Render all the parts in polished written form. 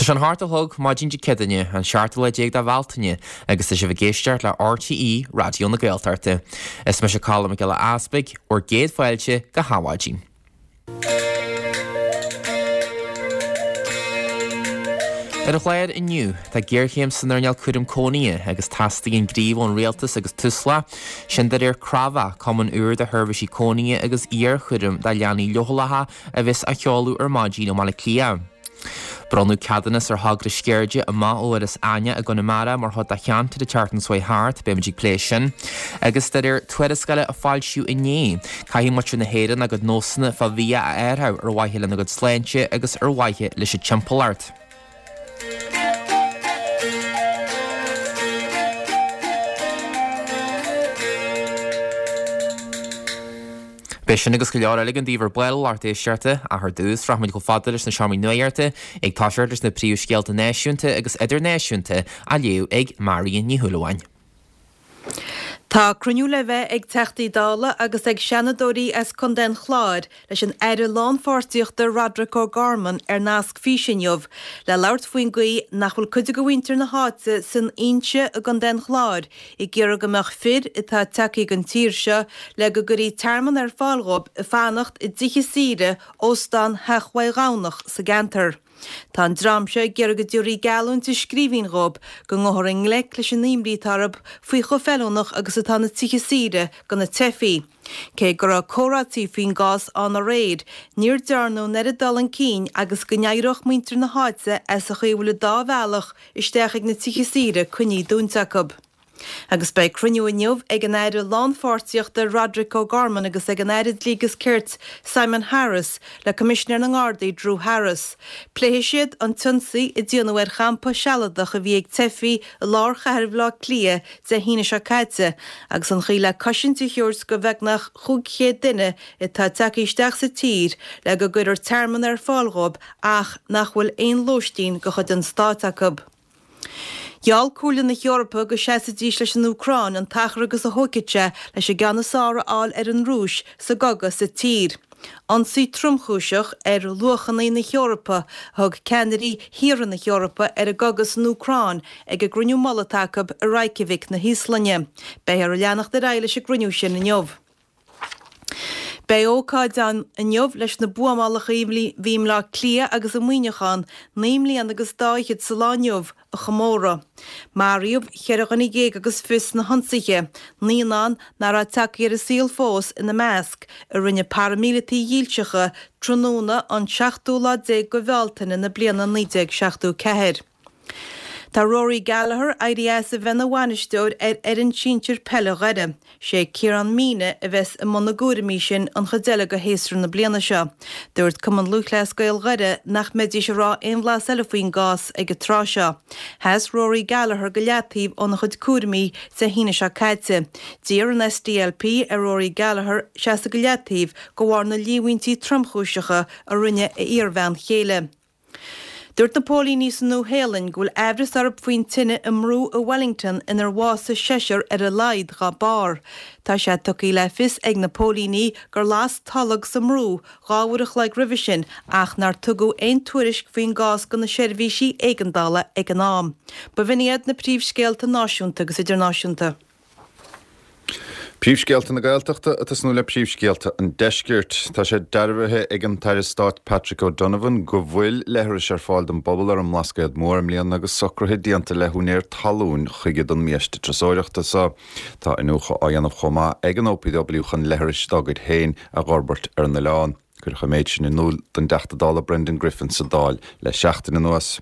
Tá sé an hocht a chlog, maidin Dé Céadaoine, an seachtú lá déag de Bhealtaine, agus tá sibh ag éisteacht le RTÉ Raidió na Gaeltachta. Is mise Colm Mac Giolla Easpaig, bhur gcéad fáilte go hAdhmhaidin. Ar an chlár inniu, tá géarchéim san earnáil cúram cónaithe agus teastaíonn gníomh ón rialtas agus Tusla, sin de réir Crábhadh, cumann úr de sheirbhísí cónaithe agus iarchúraim do leanaí leochaileacha a bheas á sheoladh ar maidin i mBaile Átha Cliath. Bronnadh ceadúnas ar thogra sceirde amach ó Iorras Aithneach i gConamara mar chuid de cheantar an tseachtain seo thart, beimid ag plé sin. Agus de réir tuarascála a foilsíodh inné, caithfidh muintir na hÉireann a gcuid nósanna fá bhia a athrú ar mhaithe lena gcuid sláinte agus ar mhaithe leis an timpeallacht. Beidh sin agus go leor eile againn daoibh ar ball, a lucht éisteachta, ach ar dtús, rachaimid chomh fada leis na seomraí nuachta, ag toiseacht leis na príomhscéalta náisiúnta agus idirnáisiúnta á léamh ag Marion Ní Shúilleabháin. Tá cruinniú le bheith ag Teachtaí Dála agus ag Seanadóirí as Contae an Chláir leis an Aire Lánpháirtíochta Roderic O'Gorman ar nasc físe inniu le labhairt faoin gcaoi nach bhfuil cuid de mhuintir na háite san Inse i gContae an Chláir ag iarraidh go mbeadh fir atá tagtha go an tír seo le go gcuirfí tearmann ar fáil dhóibh ag fanacht i dtithe saoire Óstán Theach Mhaigh Ghamhnach sa gceantar. Tá an dream seo ag iarraidh go dtabharfaí geallúint i scríbhinn dhóibh go ngabhfar i ngleic leis an imní atá orthu faoi chomh feiliúnach agus atá na tithe saoire do na teifigh. Cé go raibh comhráití faoin gcás ann aréir, níor dearnadh an oiread dul chun cinn agus go n-éireodh muintir na háite as an chaoi a bhfuil an dá bhealach isteach ag na tithe saoire coinnithe dúnta acu. Agus beidh cruinniú inniu ag an Aire Lánpháirtíochta Roderic O'Gorman agus ag an Aire Dlí agus Cirt Simon Harris le Coimisinéir na nGardaí Drew Harris. Pléifidh siad an t-ionsaí a déanadh ar champa sealadach a bhí ag teifigh i lár chathair Bhaile Átha Cliath Dé hAoine seo caite agus an chaoi le cosaint a thabhairt do bheagnach 500 duine atá tagtha isteach sa tír le go gcuirfear tearmann ar fáil dhóibh ach nach bhfuil aon lóistín de chuid an stáit acu. Gheall Comhairle na hEorpa go seasfaidís leis an Úcráin an t-achar agus a thógfaidh sé leis an gceann is fearr a fháil ar an Rúis sa gcogadh sa tír. Ionsaí tromchúiseach ar luachanna na hEorpa a thug ceannairí thíortha na hEorpa ar an gcogadh san Úcráin ag an gcruinniú mullaigh atá acu i Reykjavik na hÍoslainne. Beifear ag leanacht ar aghaidh leis an gcruinniú sin inniu. Beidh ócáid ann inniu leis na buamálacha a bhí i mBleá Cliath agus i Muineachán 9 mbliana agus dá fhichead sa lá inniu a chomóradh. Maraíodh cheithre dhuine dhéag agus fiche sna hionsaithe, naíonán nach raibh tagtha ar an saol fós ina measc, a rinne paraimíleataigh dhílseacha tráthnóna an seachtú lá déag de Bhealtaine na bliana 1974. Tá Rory Gallagher éirithe as a bheith ina bhainisteoir ar fhoireann sinsir peile Dhoire. Sé Ciarán Meenagh a bheas i mbun na gcúraimí sin an chuid eile de shéasúr na bliana seo. Dúirt Cumann Lúthchleas Gael Dhoire nach mbeidís ag rá aon bhlas eile faoin gcás ag an tráth seo. Sheas Rory Gallagher go leataobh óna chuid cúraimí Dé hAoine seo caite. D'iarr an SDLP ar Rory Gallagher seasamh go leataobh de bharr na líomhaintí tromchúiseacha a rinne a iarbhean chéile. Dúirt na póilíní sa Nua-Shéalainn go bhfuil aimhreas orthu faoin tine i mbrú i Wellington inar bhásaigh seisear ar a laghad dá barr. Tá sé tugtha le fios ag na póilíní gur las tolg sa mbrú 2 uair a chloig roimhe sin ach nár tugadh aon tuairisc faoin gcás do na seirbhísí éigeandála ag an am. B'in iad na príomhscéalta náisiúnta agus idirnáisiúnta. Príomhscéalta na Gaeltachta ag tosnú le príomhscéalta an Deiscirt. Tá sé dearbhaithe ag an tAire Stáit Patrick O'Donovan go bhfuil leithris ar fáil don bpobal ar an mBlascaod Mór i mbliana agus socruithe déanta le húinéir talún chuige don mbiaiste turasóireachta seo. Tá iniúchadh á dhéanamh chomh maith ag an OPW chun leithris dá gcuid féin a dh'fhorbairt ar an oileán. Cuireadh an méid sin in iúl don dTeachta Dála Brendan Griffin sa Dáil le seachtain anuas.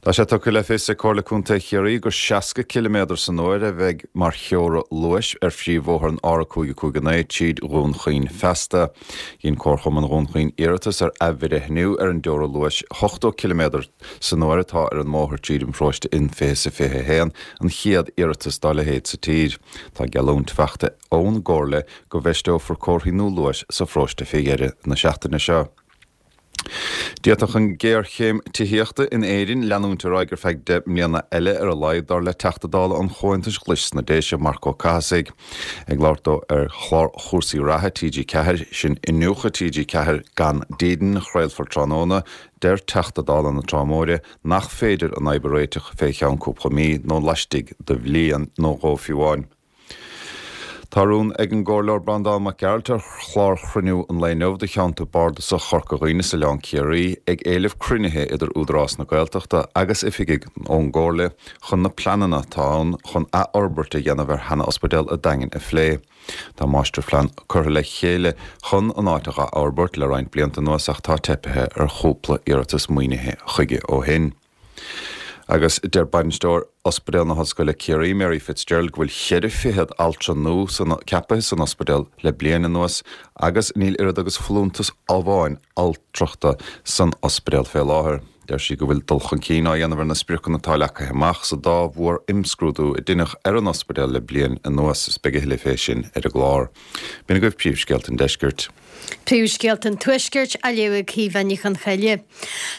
Tá sé tugtha le fios ag Comhairle Contae Chiarraí gur 60 ciliméadar san uair a bheidh mar theora luais ar phríomhbhóthar an R559 tríd Dhún Chaoin feasta. Dhein Comharchumann Dhún Chaoin iarratas ar athbhreithniú ar an dteora luais 80 ciliméadar san uair atá ar an mbóthar tríd an bparóiste in 2021, an chéad iarratas dá leithéid sa tír. Tá geallúint faighte ón gComhairle go bhfeisteofar comharthaí nua luais sa pharóiste fé dheireadh na seachtaine seo. D'fhéadfadh an ghéarchéim tithíochta in Éirinn leanúint ar aghaidh ar feadh 10 mbliana eile ar a laghad, dar le Teachta Dála an Chomhaontais Ghlais sna Déise, Marc Ó Cathasaigh. Ag labhairt dó ar chlár chúrsaí reatha TG4, sin Iniúchadh TG4 Gan Dídean, a chraolfar tráthnóna, deir Teachta Dála na Trá Móire nach féidir an fhadhb a réiteach fé cheann cúpla mí nó laistigh de bhliain nó dhó fiú amháin. Tá rún ag an gComhairleoir Breandán Mac Gearailt ar chlár chruinniú an lae inniu do Cheantar Bardasach Chorca Dhuibhne is Oileán Ciarraí ag éileamh cruinnithe idir Údarás na Gaeltachta agus oifigigh ón gComhairle chun na pleananna atá ann chun athfhorbairt a dhéanamh ar sheana-ospidéal a' Daingin a phlé. Tá máistirphlean curtha le chéile chun an áit a dh'athfhorbairt le roinnt blianta anuas ach tá teipithe ar chúpla iarratas maoinithe chuige ó shin. Agus deir bainisteoir Ospidéal na hOllscoile Ciarraí, Mary Fitzgerald, go bhfuil cheithre fichead altra nua ceapaithe san ospidéal le bliain anuas agus níl oiread agus folúntas amháin altrachta san ospidéal fé láthair. Deir sí go bhfuil dul chun cinn á dhéanamh ar na spriocanna atá leagtha amach sa dá mhór-imscrúdú a deineadh ar an ospidéal le bliain anuas. Is beidh a thuilleadh fé sin ar an gclár. B'in agaibh príomhscéalta an deiscirt. Príomhscéalta an Tuaiscirt á léamh ag Caoimhe Ní Chonchoille.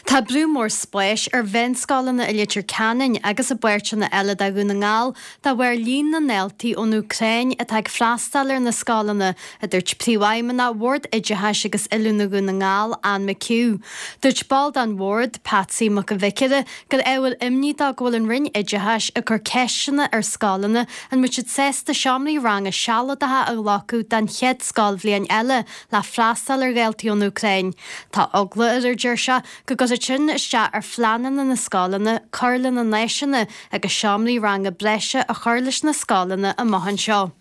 Tá brú mór spáis ar mheánscoileanna i Leitir Ceanainn agus i bpáirteanna eile de Dhún na nGall de bharr líon na ndaltaí ón Úcráin atá ag freastal ar na scoileanna, a dúirt Príomhfheidhmeannach Bhord Oideachais agus Oiliúna Dhún na nGall, Anne McHugh. Dúirt ball den bhord, Patsy Mac an Bhiocaire, gur ábhar imní dó go bhfuil an Roinn Oideachais ag cur ceisteanna ar scoileanna an mbeidh siad sásta seomraí ranga sealadacha a ghlacadh don chéad scoilbhliain eile le freastal ar dhaltaí ón Úcráin. Tá eagla air, a deir sé, go gcuirfeadh sin isteach ar phleananna na scoileanna cur lena n-áiseanna agus seomraí ranga breise a chur leis na scoileanna amach anseo.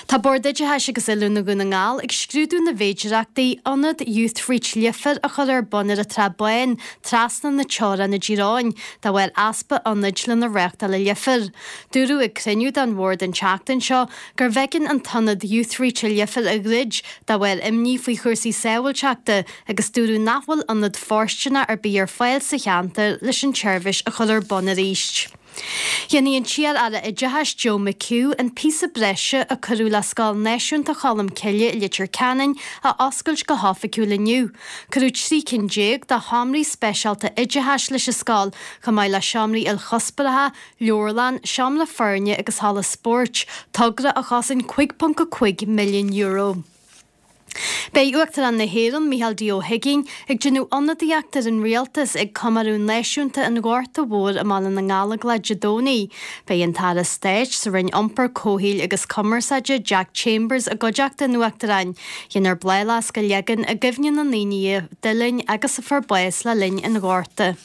Tá Bord Oideachais agus Oiliúna Dhún na nGall ag scrúdú na bhféidireachtaí ionad Youthreach Leifear a chur ar bun ar an Trá Báin trasna na teorann i dTír Eoghain de bharr easpa ionaid lena reáchtáil i Leifear. Dúradh ag cruinniú den bhord an tseachtain seo gurbh éigean an t-ionad Youthreach i Leifear a dhruid de bharr imní faoi chúrsaí sábháilteachta agus dúradh nach bhfuil ionad fóirsteanach ar bith ar fáil sa cheantar leis an tseirbhís a chur ar bun arís. Déanfaidh an t-iar-aire oideachais Joe McHugh an píosa breise a cuireadh le Scoil Náisiúnta Cholm Cille i Leitir Ceanainn a oscailt go hoifigiúil inniu. Cuireadh 13 cinn de sheomraí speisialta oideachais leis an scoil, chomh maith le seomraí ilchuspóireacha, leabharlann, seomra foirne agus halla spóirt, togra a chosain €5.5 milliún. Beidh Uachtarán na hÉireann, Micheál D. Ó hUigínn, ag déanamh ionadaíocht ar an Rialtas ag Comóradh Náisiúnta an Ghorta Mhóir i mBaile na nGallóglach Dé Domhnaigh. Beidh an tAire Stáit sa Roinn Iompair, Comhshaoil agus Cumarsáide, Jack Chambers, i gcuideachta an Uachtaráin. Déanfar bláthfhleasc a leagan i gcuimhne na ndaoine a d'fhulaing agus a fuair bás le linn an Ghorta.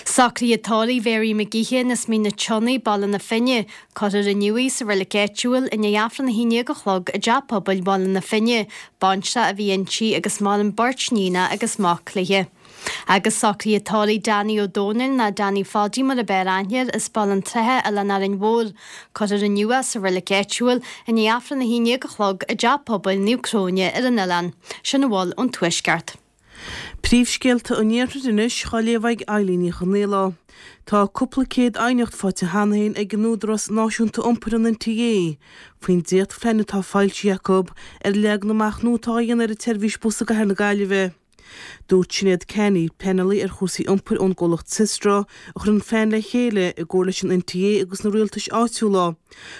Socruithe tórraimh Mhary McGeehan as Mín na Sionnaigh, Baile na Finne. Cuirfear inniu í sa reilig áitiúil i ndiaidh Aifreann a 11 a chlog i dTeach Pobail Bhaile na Finne. Baintreach a bhí inti agus maireann beirt níonacha agus mac léi. Agus socruithe tórraimh Danny Ó Dónaill nó Danny Pháidí mar ab fhearr aithne air as Baile an tSratha, Oileán Árainn Mhór. Cuirfear inniu é sa reilig áitiúil i ndiaidh Aifreann a 11 a chlog i dTeach Pobail Naomh Cróine ar an oileán. Sin a bhfuil ón Tuaisceart. Príomhscéalta an Iarthair anois á léamh ag Eilín Ní Chonghaile. Tá cúpla céad aighneacht faighte cheana féin ag an Údarás Náisiúnta Iompair an NTA faoin dréachtphlean atá foilsithe acu ar an leagan amach nua atá á dhéanamh ar an tseirbhís bus i gcathair na Gaillimhe. Dúirt Sinéad Canney, pleanálaí ar chúrsaí iompair ón gcomhlacht Systra, a chuir an plean le chéile i gcomhar leis an NTA agus na rialtais áitiúla,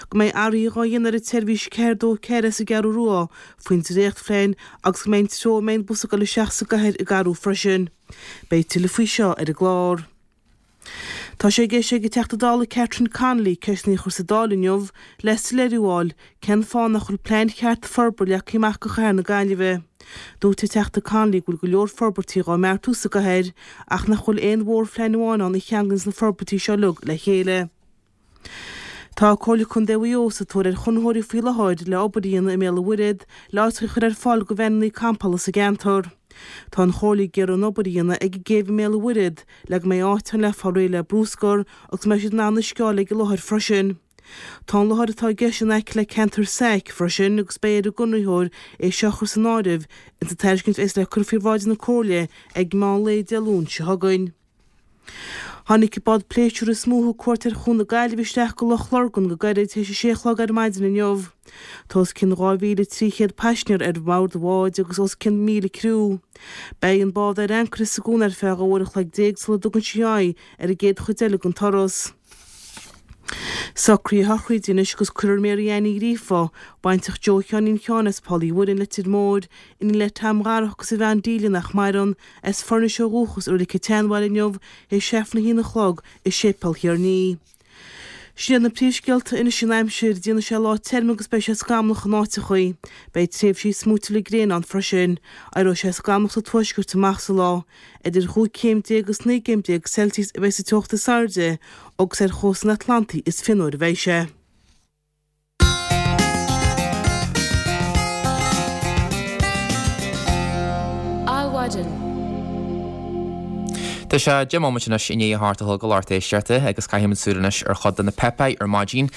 go mbeidh athruithe á dhéanamh ar an tseirbhís 424 as an gCeathrú Rua faoin dréachtphlean agus go mbeidh an treo a mbeidh an bus ag dul isteach sa gcathair ag athrú freisin. Beidh tuilleadh faoi seo ar an gclár. Tá sé i gceist ag an Teachta Dála Catherine Connolly ceisteanna a chur sa Dáil inniu le soiléiriú a fháil cén fáth nach bhfuil plean ceart forbartha leagtha amach do chathair na Gaillimhe. Dúirt an Teachta Connolly go bhfuil go leor forbairtí dhá mbeartú sa gcathair ach nach bhfuil aon mhórphlean amháin ann a cheanglaíonns na forbairtí seo uilig le chéile. Tá Comhairle Contae Mhaigh Eo sa tóir ar chonraitheoirí faoi láthair le obair a dhéanamh i mBéal an Mhuirthead le áit a chur ar fáil do veaineanna campála sa gceantar. Tá an Chomhairle ag iarraidh an obair a dhéanamh ag an gcéibh i mBéal an Mhuirthead le go mbeidh áit ann le fáil réidh le brúscar agus go mbeidh siad in ann uisce a fháil ag an láthair freisin. Tá an láthair atá i gceist in aice le ceantar SAIC freisin agus beidh ar an gconraitheoir é seo a chur san áireamh ins an tairiscint a bheas le cur faoi bhráid na Comhairle ag meán lae Dé Luain seo chugainn. Tháinig an bád pléisiúir is mó a thug cuairt ar Chuan na Gaillimhe isteach go Loch Lurgan go gairid théis a sé a chlog ar maidin inniu. Tá os cionn 2,300 paisinéir ar bhord an bháid agus os cionn 1,000 criú. Beidh an bád ar ancaire sa gcuan ar feadh 12 uair an chloig sula dtugann sí aghaidh ar an gcéad chuid eile den turas. Socruithe sochraide anois agus cuirfear Mary Ann Ní Ghríofa, baintreach Joe Sheáinín Sheáin as Poll Uí Mhuirinn, Leitir Móir, iníon le Tom Dharach agus a bhean Delia nach maireann, as Foirnis ó dhúchas i Reilig an tSeanbhaile inniu théis Aifreann a haon a chlog i Séipéal Thír an Fhia. Sin iad na príomhscéalta anois an aimsir, déanfaidh sé lá tirim agus beidh sé scamallach in áiteachaí. Beidh tréimhsí smúitiúla gréine ann freisin. Éireoidh sé scamallach sa tuaisceart amach sa lá. Idir chúig chéim déag agus 19 gcéim Celsius a bheidh sa teocht is airde agus ar chósta an Atlantaigh is fionnuaire a bheidh sé. Adhmhaidin. Tá sé 10 mbomaite anois i ndiaidh a hocht a chlog a lucht éisteachta agus caithfimid súil anois ar chuid de na páipéir ar maidin.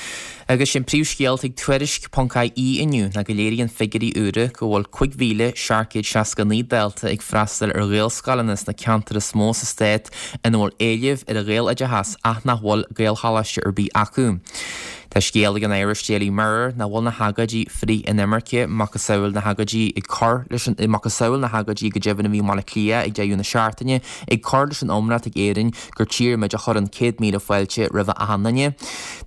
Agus sé an príomhscéal atá ag Tuairisc ponc ie inniu ná go léiríonn figiúirí úra go bhfuil 5,769 dalta ag freastal ar Ghaelscoileanna sna ceantair is mó sa stát ina bhfuil éileamh ar an Ghaeloideachas ach nach bhfuil Gaelcholáiste ar bith acu. Tá scéal ag an Irish Daily Mirror nach bhfuil na hagóidí frith-inimirce, macasamhail na hagóidí ag cur leis an, macasamhail na hagóidí go deimhin a bhí i mBaile Átha Cliath ag deireadh na seachtaine, ag cur leis an iomrá atá ag Éirinn gur tír muid a chuireann 100,000 fáilte roimh achan duine.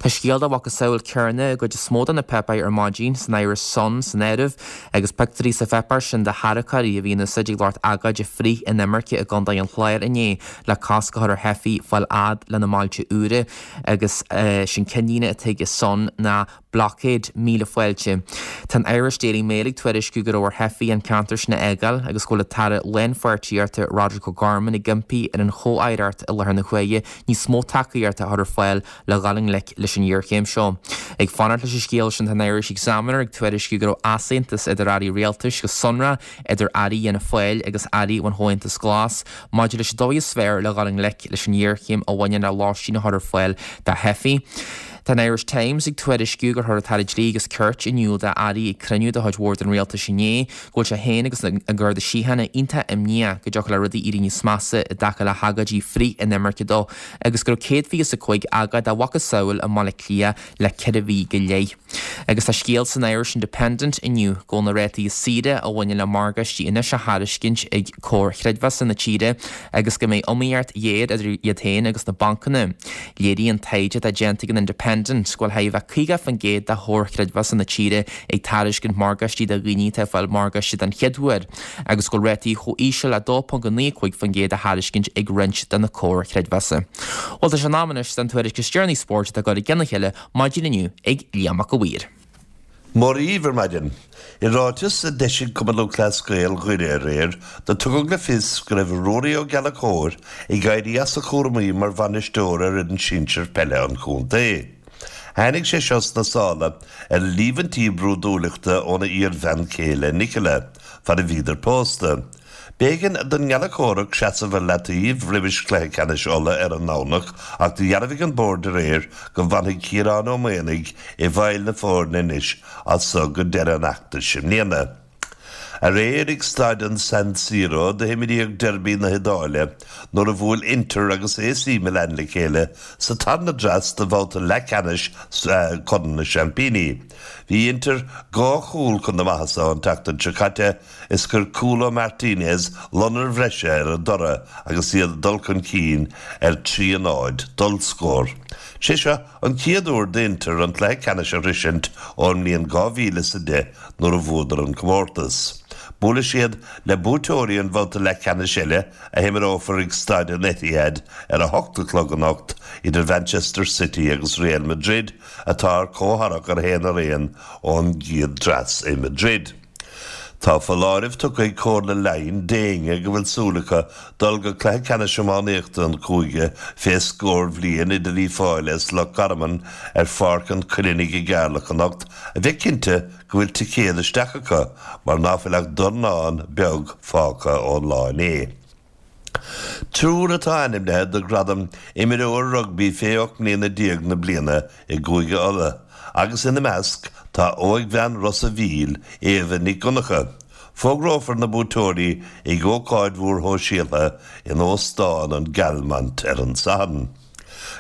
Tá scéal dá mhacasamhail céanna i gcuid is mó de na páipéir ar maidin, san Irish Sun san áireamh, agus pictiúirí sa pháipéar sin de tharracóirí a bhí in úsáid ag lucht agóide frith-inimirce i gContae an Chláir inné le cosc a chur ar theifigh fáil fhad lena mbailte úra. Agus sé'n ceannlíne atá ag an Sun ná Blockade, 1000 Fáilte. Tá an Irish Daily Mail ag tuairisciú go raibh ar theifigh an ceantar sin a fhágáil agus go bhfuil an tAire Lánpháirtíochta Roderic O'Gorman ag impí ar an chomh-aireacht i láthair na huaire níos mó tacaíochta a chur ar fáil le dhul i ngleic leis an ngéarchéim seo. Ag fanacht leis an scéal sin tá an Irish Examiner ag tuairisciú go raibh easaontas idir airí rialtais go sonrath idir airí Fhianna Fáil agus airí an Chomhaontais Ghlais maidir leis an dóigh is fearr le dhul i ngleic leis an ngéarchéim a bhaineann le lóistín a chur ar fáil do theifigh. Tá an Irish Times ag tuairisciú gur chuir an tAire Dlí agus Cirt in iúl d'airí ag cruinniú de chuid Bhord an Rialtais inné go bhfuil sé féin agus an Garda Síochána iontach imníoch go dtiocfadh le rudaí éirí níos measa i dtaca le hagóidí frith-inimirce dó agus go raibh 125 agóid dá mhacasamhail i mBaile Átha Cliath le 4 mhí go leith. Agus tá scéal san Irish Independent inniu go bhfuil na rátaí is saoire a bhaineann le morgáistí anois á thairiscint ag comhair chreidmheasa na tíre agus go mbeidh iomaíocht ghéar idir iad féin agus na bancanna. Léiríonn taighde atá déanta ag an Independent go bhfuil chóir a bheith 50% de chomhair chreidmheasa na tíre ag tairiscint morgáistí do dhaoine atá ag fáil morgáiste den chéad uair agus go bhfuil rátaí chomh íseal le 2.95% á thairiscint ag roinnt de na comhair chreidmheasa. Bhuel tá sé in am anois don tuairisc is deireanaí spóirt atá ag dul i gcionn a chéile Maidin inniu ag Liam Mac a' Mhaoir. Mora dhaoibh ar maidin. I ráiteas a d'eisigh Cumann Lúthchleas Gael Dhoire aréir, do tugadh le fios go raibh Ruairí Ó Gallchóir ag éirí as a chúramaí mar bhainisteoir ar fhoireann sinsir peile an chontae. Tháinig sé seo sna sála ar líomhaintí brúidiúlachta óna iar-bhean chéile Nicola, fad a bhíodar pósta. B'éigean don nGallchórach seasamh ar leataobh roimis chluiche ceannais Uladh ar an nDomhnach ach do dhearbhaigh an Bord aréir go bhfanfaidh Ciarán Ó Maonaigh i bhfeighil na foirne anois as so go deireadh an fheachtais i mbliana. Aréir ag staid an San Siro do himríodh deirby na hIodáile nuair a bhuail Inter agus AC Milan le chéile sa tarna dreas de bhabhta leathcheannais Chorn na Seaimpíní. Bhí Inter dhá chúl chun na maitheasa an tseachtain seo caite Is chuir cúl ó Martinez lonair bhreise ar a dtoradh agus iad ag dul chun cinn ar 3 a 0 d'ollscór. Sé seo an chéad uair d'Inter an cluiche ceannais a shroisint ón mbliain 2010 nuair a bhuadar an comórtas. Buailfidh siad le buaiteoirí an bhabhta leathcheannais eile a himreofar ag Staid an Etihad ar a hocht a chlog anocht idir Manchester City agus Real Madrid atá ar comhthoradh ar 1 ar 1 ón gcéad dreas i Madrid. Tá foláireamh tugtha ag Comhairle Laighean d'éinne go bhfuil súil acu dul go cluiche ceannais iománaíochta an chúige fé scór bhliain idir Uíbh Fhailí is Loch Garman ar Pháirc an Choilinigh i gCeatharlach anocht a bheith cinnte go bhfuil ticéad isteach acu mar ná fuil ach dornán beag fágtha ón lá inné. Triúr atá ainmnithe do ghradam Imreoir Rugbaí fé 18 mbliana na bliana i gCúige Uladh agus ina measc tá óigbhean Ros a' Mhíl, Éabha Nic Dhonncha. Fógrófar na buaiteoirí ag ócáid mhór shóisialta in Óstán an Galmont ar an Satharn.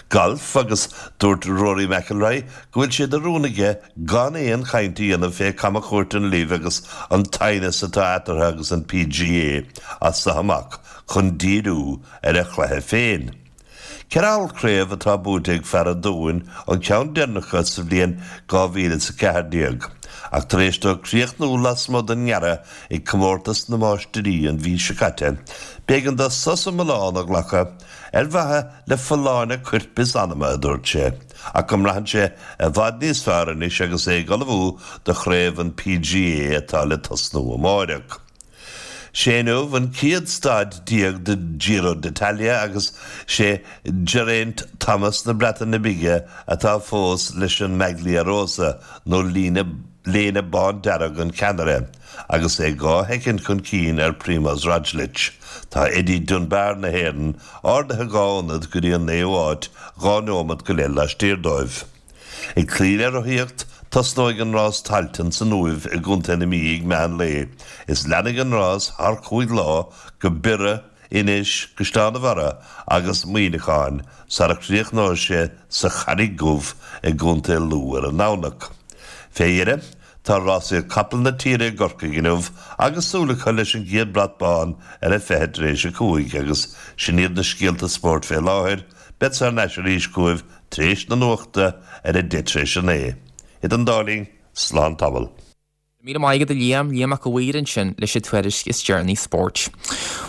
Galf agus dúirt Rory McIlroy go bhfuil sé de rún aige gan aon chaint a dhéanamh fé camchuairt an LIV agus an t-aighneas atá eatarthu agus an PGA as seo amach chun díriú ar a chluiche féin. Ceithre ollchraobh atá buaite ag fear an Dúin, an ceann deireanach acu sa bhliain 2014. Ach tar éis dó críochnú lasmuigh den ngearradh ag Comórtas na Máistirí an mhí seo caite, b'éigean dó sos iomlán a ghlacadh ar mhaithe le folláine coirp is anama, a dúirt sé, ach go mbraitheann sé i bhfad níos fearr anois agus é ag ullmhú do chraobh an PGA atá le tosnú amáireach. Sé inniu an chéad staid de Giro d'Italia agus sé Geraint Thomas na Breataine Bige atá fós leis an Maglia Rosa nó líne léine bándearg an cheannaire agus é 2 shoicind chun cinn ar Primoz Roglic. Tá Eddie Dunbar na hÉireann ardaithe 2 ionad go dtí an naoú háit, 2 neomat go leith laistiar dóibh. Ag cloí le rothaíocht, tosnóidh an rás Tailteann san Uaimh i gContae na Mí ag meán lae is leanfaidh an rás thar chúig lá go Biorra, Inis, Caisleán a' Bharraigh agus Muineachán sara chríochnóidh sé sa Charraig Dhubh i gContae Lú ar an nDomhnach. Fé dheireadh, tá rásaíocht capall na tíre i gCorcaigh inniu agus súil acu leis an gcéad brat bán ar a 5:40 agus sin iad na scéalta spóirt fé láthair. Beadsa thar n-ais arís chugaibh tar éis na nuachta ar a 9:30 tar éis. Idir an dá linn, slán tamall. Míle maith agat a Liam, Liam Mac a' Mhaoir ansin leis an tuairisc is deireanaí spóirt.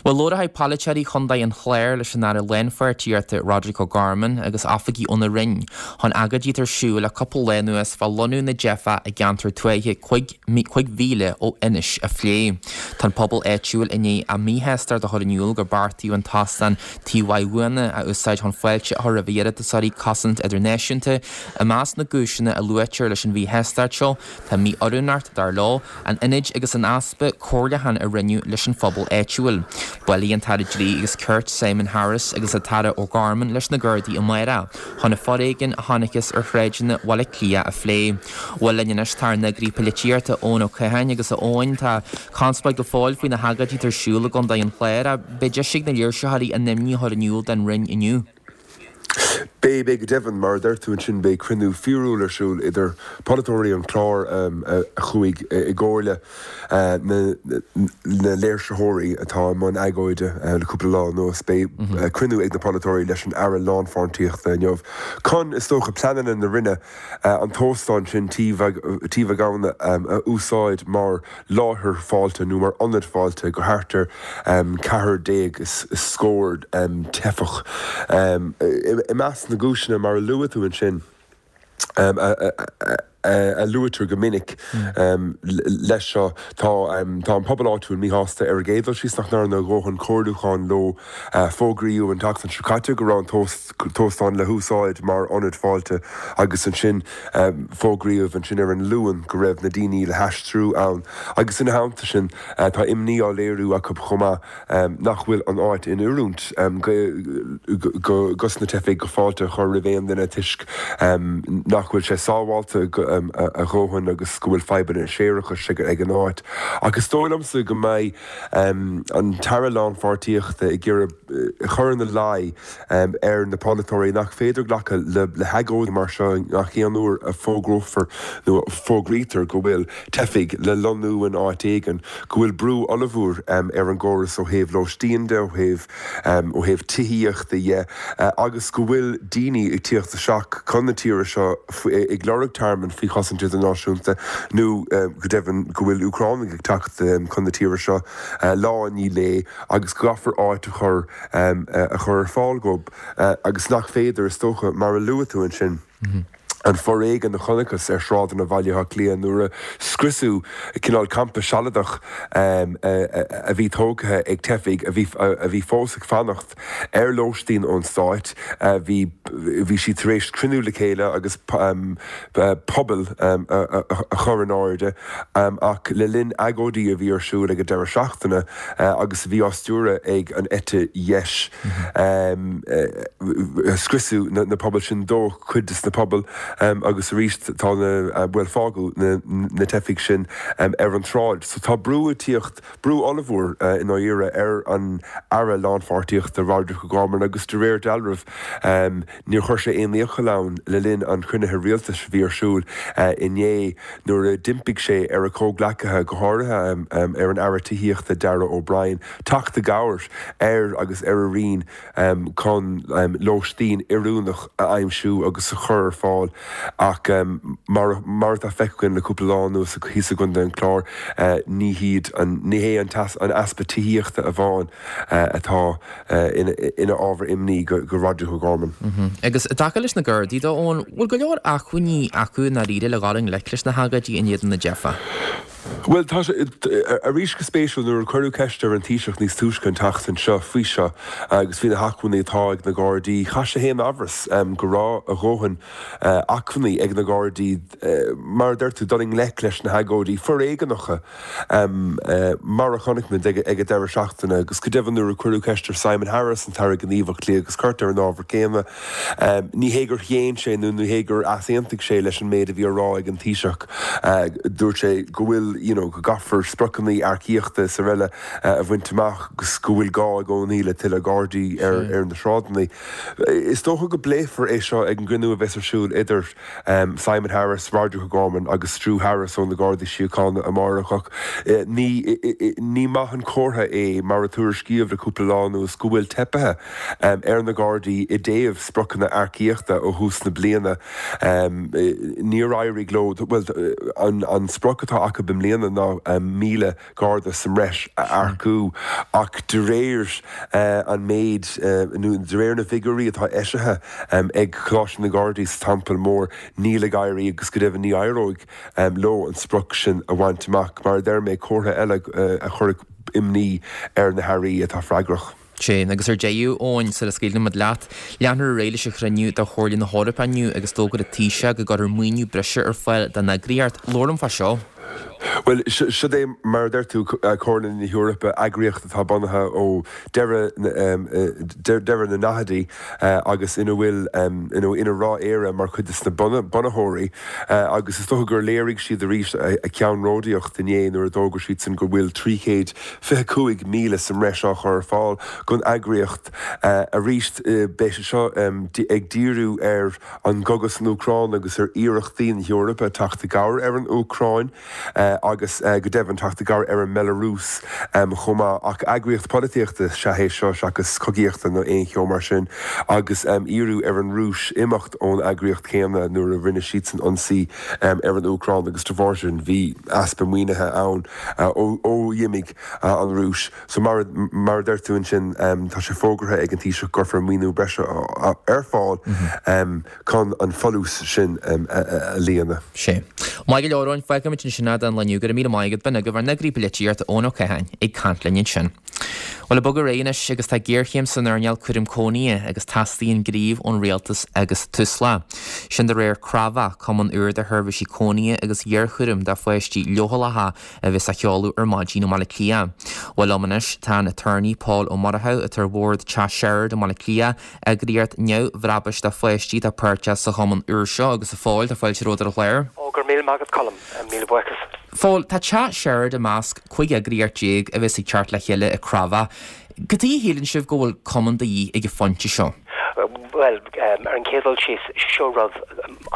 Bhuel labharfaidh polaiteoirí Chontae an Chláir leis an Aire Lánpháirtíochta Roderic O'Gorman agus oifigigh óna Roinn chun agóidí atá ar siúl le cúpla lá anuas fá lonnú na dteifeach i gceantar tuaithe 5 mhíle ó Inis a phlé. Tá an pobal áitiúil i ndiaidh a míshástacht a chur in iúl gur beartaíodh an t-óstán Tí Mhaigh Bhuana a úsáid chun fáilte a chur roimh iarratasóirí cosaint idirnáisiúnta. I measc na gcúiseanna a luaitear leis an mhíshástacht seo tá mí-oiriúnacht, dar leo, an ionaid agus an easpa comhairliúcháin a rinneadh leis an phobal áitiúil. Buailfidh an tAire Dlí agus Cirt Simon Harris agus an tAire O'Gorman leis na Gardaí amárach chun an foréigean a chonacthas ar shráideanna Bhaile Átha Cliath a phlé. Bhuel linn anois tá ár n-eagraí polaitíochta Eoin Ó Catháin agus a Eoin tá conspóid go fóill faoi na hagóidí atá ar siúl i gContae an Chláir ach beidh deis ag na léirsitheoirí a n-imní a chur in iúl don Roinn inniu. Beidh, beidh go deimhin. Mar a deir tú ansin beidh cruinniú fíorúil ar siúl idir polaiteoirí an Chláir a chuaigh i gcomhairle na léirsitheoirí atá i mbun agóide le cúpla lá anuas. Beidh cruinniú ag na polaiteoirí leis an Aire Lánpháirtíochta inniu chun, is dócha, pleananna na Roinne an t-óstán sin, Tí Mhaigh Gabhann, a úsáid mar láthair fáilte nó mar ionad fáilte go thart ar 14 is scór teifeach. I measc na gcúiseanna, mar a luaigh tú ansin, a luaitear go minic leis seo, tá an pobal áitiúil míshásta ar an gcéad dul síos nach ndearnadh a dhóthain comhairliúcháin leo. Fógraíodh an tseachtain seo caite go raibh an t-óstán le húsáid mar ionad fáilte agus ansin fógraíodh ansin ar an Luan go raibh na daoine le haistriú ann agus ina theannta sin tá imní á léiriú acu chomh maith nach bhfuil an áit in oiriúint dos na teifigh go fáilte a chur roimh aon duine toisc nach bhfuil sé sábháilte a dhóthain agus go bhfuil fadhbanna séarachais ag an áit. Ach is dóigh liomsa go mbeidh an tAire Lánpháirtíochta ag iarraidh cur ina luí ar na polaiteoirí nach féidir glacadh le hagóidí mar seo gach aon uair a fógrófar nó a fógraítear go bhfuil teifigh le lonnú in áit éigin, go bhfuil brú ollmhór ar an gcóras ó thaobh lóistín de, ó thaobh ó thaobh tithíochta dhe agus go bhfuil daoine ag tíocht isteach chun na tíre seo ag lorg tearmann faoi chosaint idirnáisiúnta nó go deimhin go bhfuil Úcránaigh ag teacht chun na tíre seo lá i ndiaidh lae agus go gcaithfear áit a chur a chur ar fáil dhóibh agus nach féidir, is dócha, mar a luaigh tú ansin. an foréigean a chonacthas ar shráideanna Bhaile Átha Cliath nuair a scriosadh cineál campa sealadach a bhí tógtha ag teifigh a bhí a bhí fós ag fanacht ar lóistín ón stáit. Bhí bhí siad tar éis cruinniú le chéile agus puball a chur in airde ach le linn agóidí a bhí ar siúl ag an deireadh seachtaine agus a bhí á stiúradh ag an eite dheis. Scriosadh na pubaill sin, dódh cuid de na pubaill. Agus arís tá na, bhuel fágadh na teifigh sin ar an tsráid. So tá brú ag tíocht, brú ollmhór i ndáiríre ar an Aire Lánpháirtíochta Roderic O'Gorman agus de réir dealraimh níor chuir sé aon iachall ann le linn an chruinnithe rialtais a bhí ar siúl inné nuair a d'impigh sé ar a chomhghleacaithe, go háirithe ar an Aire Tithíochta Darragh O'Brien, teacht i gcabhair air agus ar a roinn chun lóistín oiriúnach a aimsiú agus a chur ar fáil ach mar mar atá feicthe againn le cúpla lá anuas thíos i gContae an Chláir, ní hiad an ní hé an an easpa tithíochta amháin atá ina ábhar imní go Roderic O'Gorman. Agus i dtaca leis na Gardaí dó, Eoin, bhfuil go leor acmhainní acu i ndáiríre le dhul i ngleic leis na hagóidí in éadan na dteifeach? Bhuel, tá sé, arís go spéisiúil, nuair a cuireadh ceist ar an Taoiseach níos túisce an tseachtain seo faoi seo agus faoi na hacmhainní atá ag na Gardaí, chaith sé féin amhras go raibh a dhóthain acmhainní ag na Gardaí, mar a deir tú, dul i ngleic leis na hagóidí foréigeanacha mar a chonaic muid ag an deireadh seachtaine. Agus go deimhin nuair a cuireadh ceist ar Simon Harris, an tAire Gníomhach Dlí agus Cirt, ar an ábhar céanna, ní hé gur shéan sé nó ní hé gur easaontaigh sé leis an méid a bhí á rá ag an Taoiseach. Dúirt sé go bhfuil, you know, go gcaithfear spriocanna earcaíochta is araile a bhaint amach agus go bhfuil gá i gcónaí le tuilleadh Gardaí ar na sráideanna. Is dócha go bpléifear é seo ag an gcruinniú a bheas ar siúl idir Simon Harris, Roderic O'Gorman agus Drew Harris ó na Gardaí Síochána amárach ach ní, ní maith an comhartha é mar a tuairiscíodh le cúpla lá anuas go bhfuil teipithe ar na Gardaí i dtaobh spriocanna earcaíochta ó thús na bliana. Níor éirigh leo, bhuel, an sprioc atá acu i mbliana ná 1,000 Garda sa mbreis a earcú ach de réir an méid, nó de réir na bhfigiúirí atá eisithe ag Coláiste na nGardaí sa Teampall Mór, níl ag éirí agus go deimhin ní éireoidh leo an sprioc sin a bhaint amach. Mar a deir mé, comhartha eile a chuirfeadh imní ar na hairí atá freagrach. Sin, agus ar deireadh, Eoin, sula scaoileann muid leat, leanfar ar aghaidh leis an chruinniú de Chomhairle na hEorpa inniu agus d'fhógair an Taoiseach go gcuirfear maoiniú breise ar fáil don eagraíocht. Labhair liom fá seo. Bhuel, siod é, mar a deir tú, Comhairle na hEorpa, eagraíocht atá bunaithe ó deireadh deireadh na ndaichidí agus ina bhfuil, you know, ina raibh Éire mar chuid de na bunaitheoirí agus is dócha gur léirigh siad arís a ceannródaíocht inné nuair a d'fhógair siadsan go bhfuil 325,000 sa mbreis á chur ar fáil don eagraíocht. Arís, beidh sé seo ag díriú ar an gcogadh san Úcráin agus ar iarrachtaí na hEorpa teacht i gcabhair ar an Úcráin agus, go deimhin, teacht i gcabhair ar an mBealarúis chomh maith. Ach eagraíocht polaitíochta is ea é seo seachas cogaíochta nó aon cheo mar sin agus iarradh ar an Rúis imeacht ón eagraíocht chéanna nuair a rinne siadsan ionsaí ar an Úcráin agus de bharr sin bhí easpa maoinithe ann. Ó d'imigh an Rúis. So mar mar a deir tú ansin, tá sé fógartha ag an Taoiseach go gcuirfear maoiniú breise ar fáil chun an folús sin a líonadh. Sea. Maith go leor, Eoin. Fágfaimid ansin é don lá inniu. Go raibh míle maith agat. B'in agaibh ár n-eagraí polaitíochta, Eoin Ó Catháin, ag caint linn ansin. Bhuel, ag bogadh ar aghaidh anois agus tá géarchéim san earnáil cúraim cónaithe agus teastaíonn gníomh ón rialtas agus Tusla. Sin de réir Crábhadh, cumann úr de sheirbhísí cónaithe agus iarchúraim do pháistí leochaileacha a bheas á sheoladh ar maidin i mBaile Átha Cliath. Bhuel liom anois tá an Aturnae Pól Ó Murchú atá ar bhord Teach Sherard i mBaile Átha Cliath, eagraíocht neamhbhrabúis do pháistí atá páirteach sa chumann úr seo agus a Phóil, tá fáilte romhat ar an chlár. Ó, go raibh míle maith agat Colm, míle buíochas. Phóil, tá Teach Sherard i measc 15 eagraíocht a bheas ag teacht le chéile i Crábhadh. Cad chuige a shíleann sibh go bhfuil cumann de dhíth ag an phointe seo? Bhuel, ar an gcéad dul síos, seo rud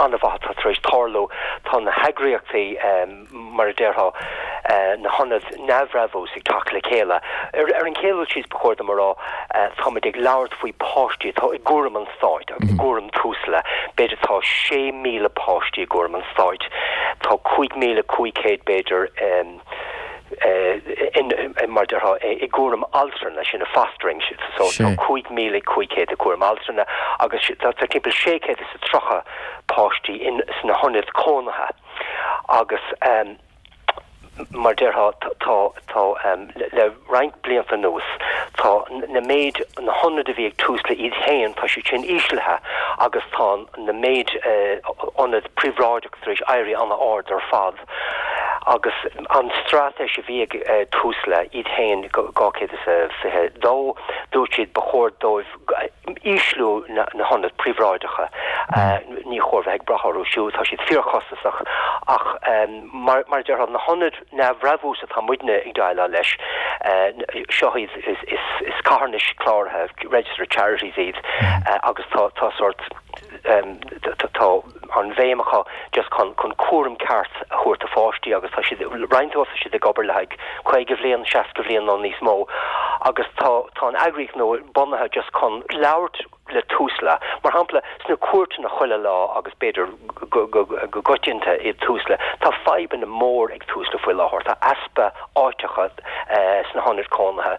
an-mhaith atá tar éis tarlú. Tá na heagraíochtaí, mar a déarfá, na hionaid neamhbhrabúis ag teacht le chéile. Ar an chéad dul síos, ba chóir dom a rá, táimid ag labhairt faoi páistí atá i gcúram an stáit agus i gcúram Tusla. B'fhéidir tá 6,000 páistí i gcúram an stáit. Tá 5,500 b'fhéidir in, mar a déarfá, i gcúram altrana, sin fostering, so tá 5,500 i gcúram altrana agus tá timpeall 630 páistí in sna hionaid cónaithe agus mar a déarfá tá, tá le roinnt blianta anuas tá na méid, na hionaid a bhí ag Tusla iad féin, tá siad sin íslithe agus tá na méid ionad príobháideach tar éis éirí an-ard ar fad agus an straitéis a bhí ag Tusla iad féin 222, dúirt siad ba chóir dóibh ísliú na hionaid príobháideacha. Ní chóir bheith ag brath orthu siúd, tá siad fíorchostasach ach mar a déarfá, na hionaid neamhbhrabúis atá muidne ag déileáil leis, seo iad, is carthanais cláraithe, registered charities iad agus tá tá sórt tá an bhéim acu just chun chun cúram ceart a thabhairt do pháistí agus tá siad, roinnt dóibh tá siad ag obair le haghaidh 50 bhliain, 60 bhliain nó níos mó agus tá tá an eagraíocht nua bunaithe just chun labhairt le Tusla. Mar shampla, sna cúirteanna chuile lá agus b'fhéidir go coitianta i Tusla, tá fadhbanna mór ag Tusla faoi láthair. Tá easpa áiteacha sna hionaid cónaithe.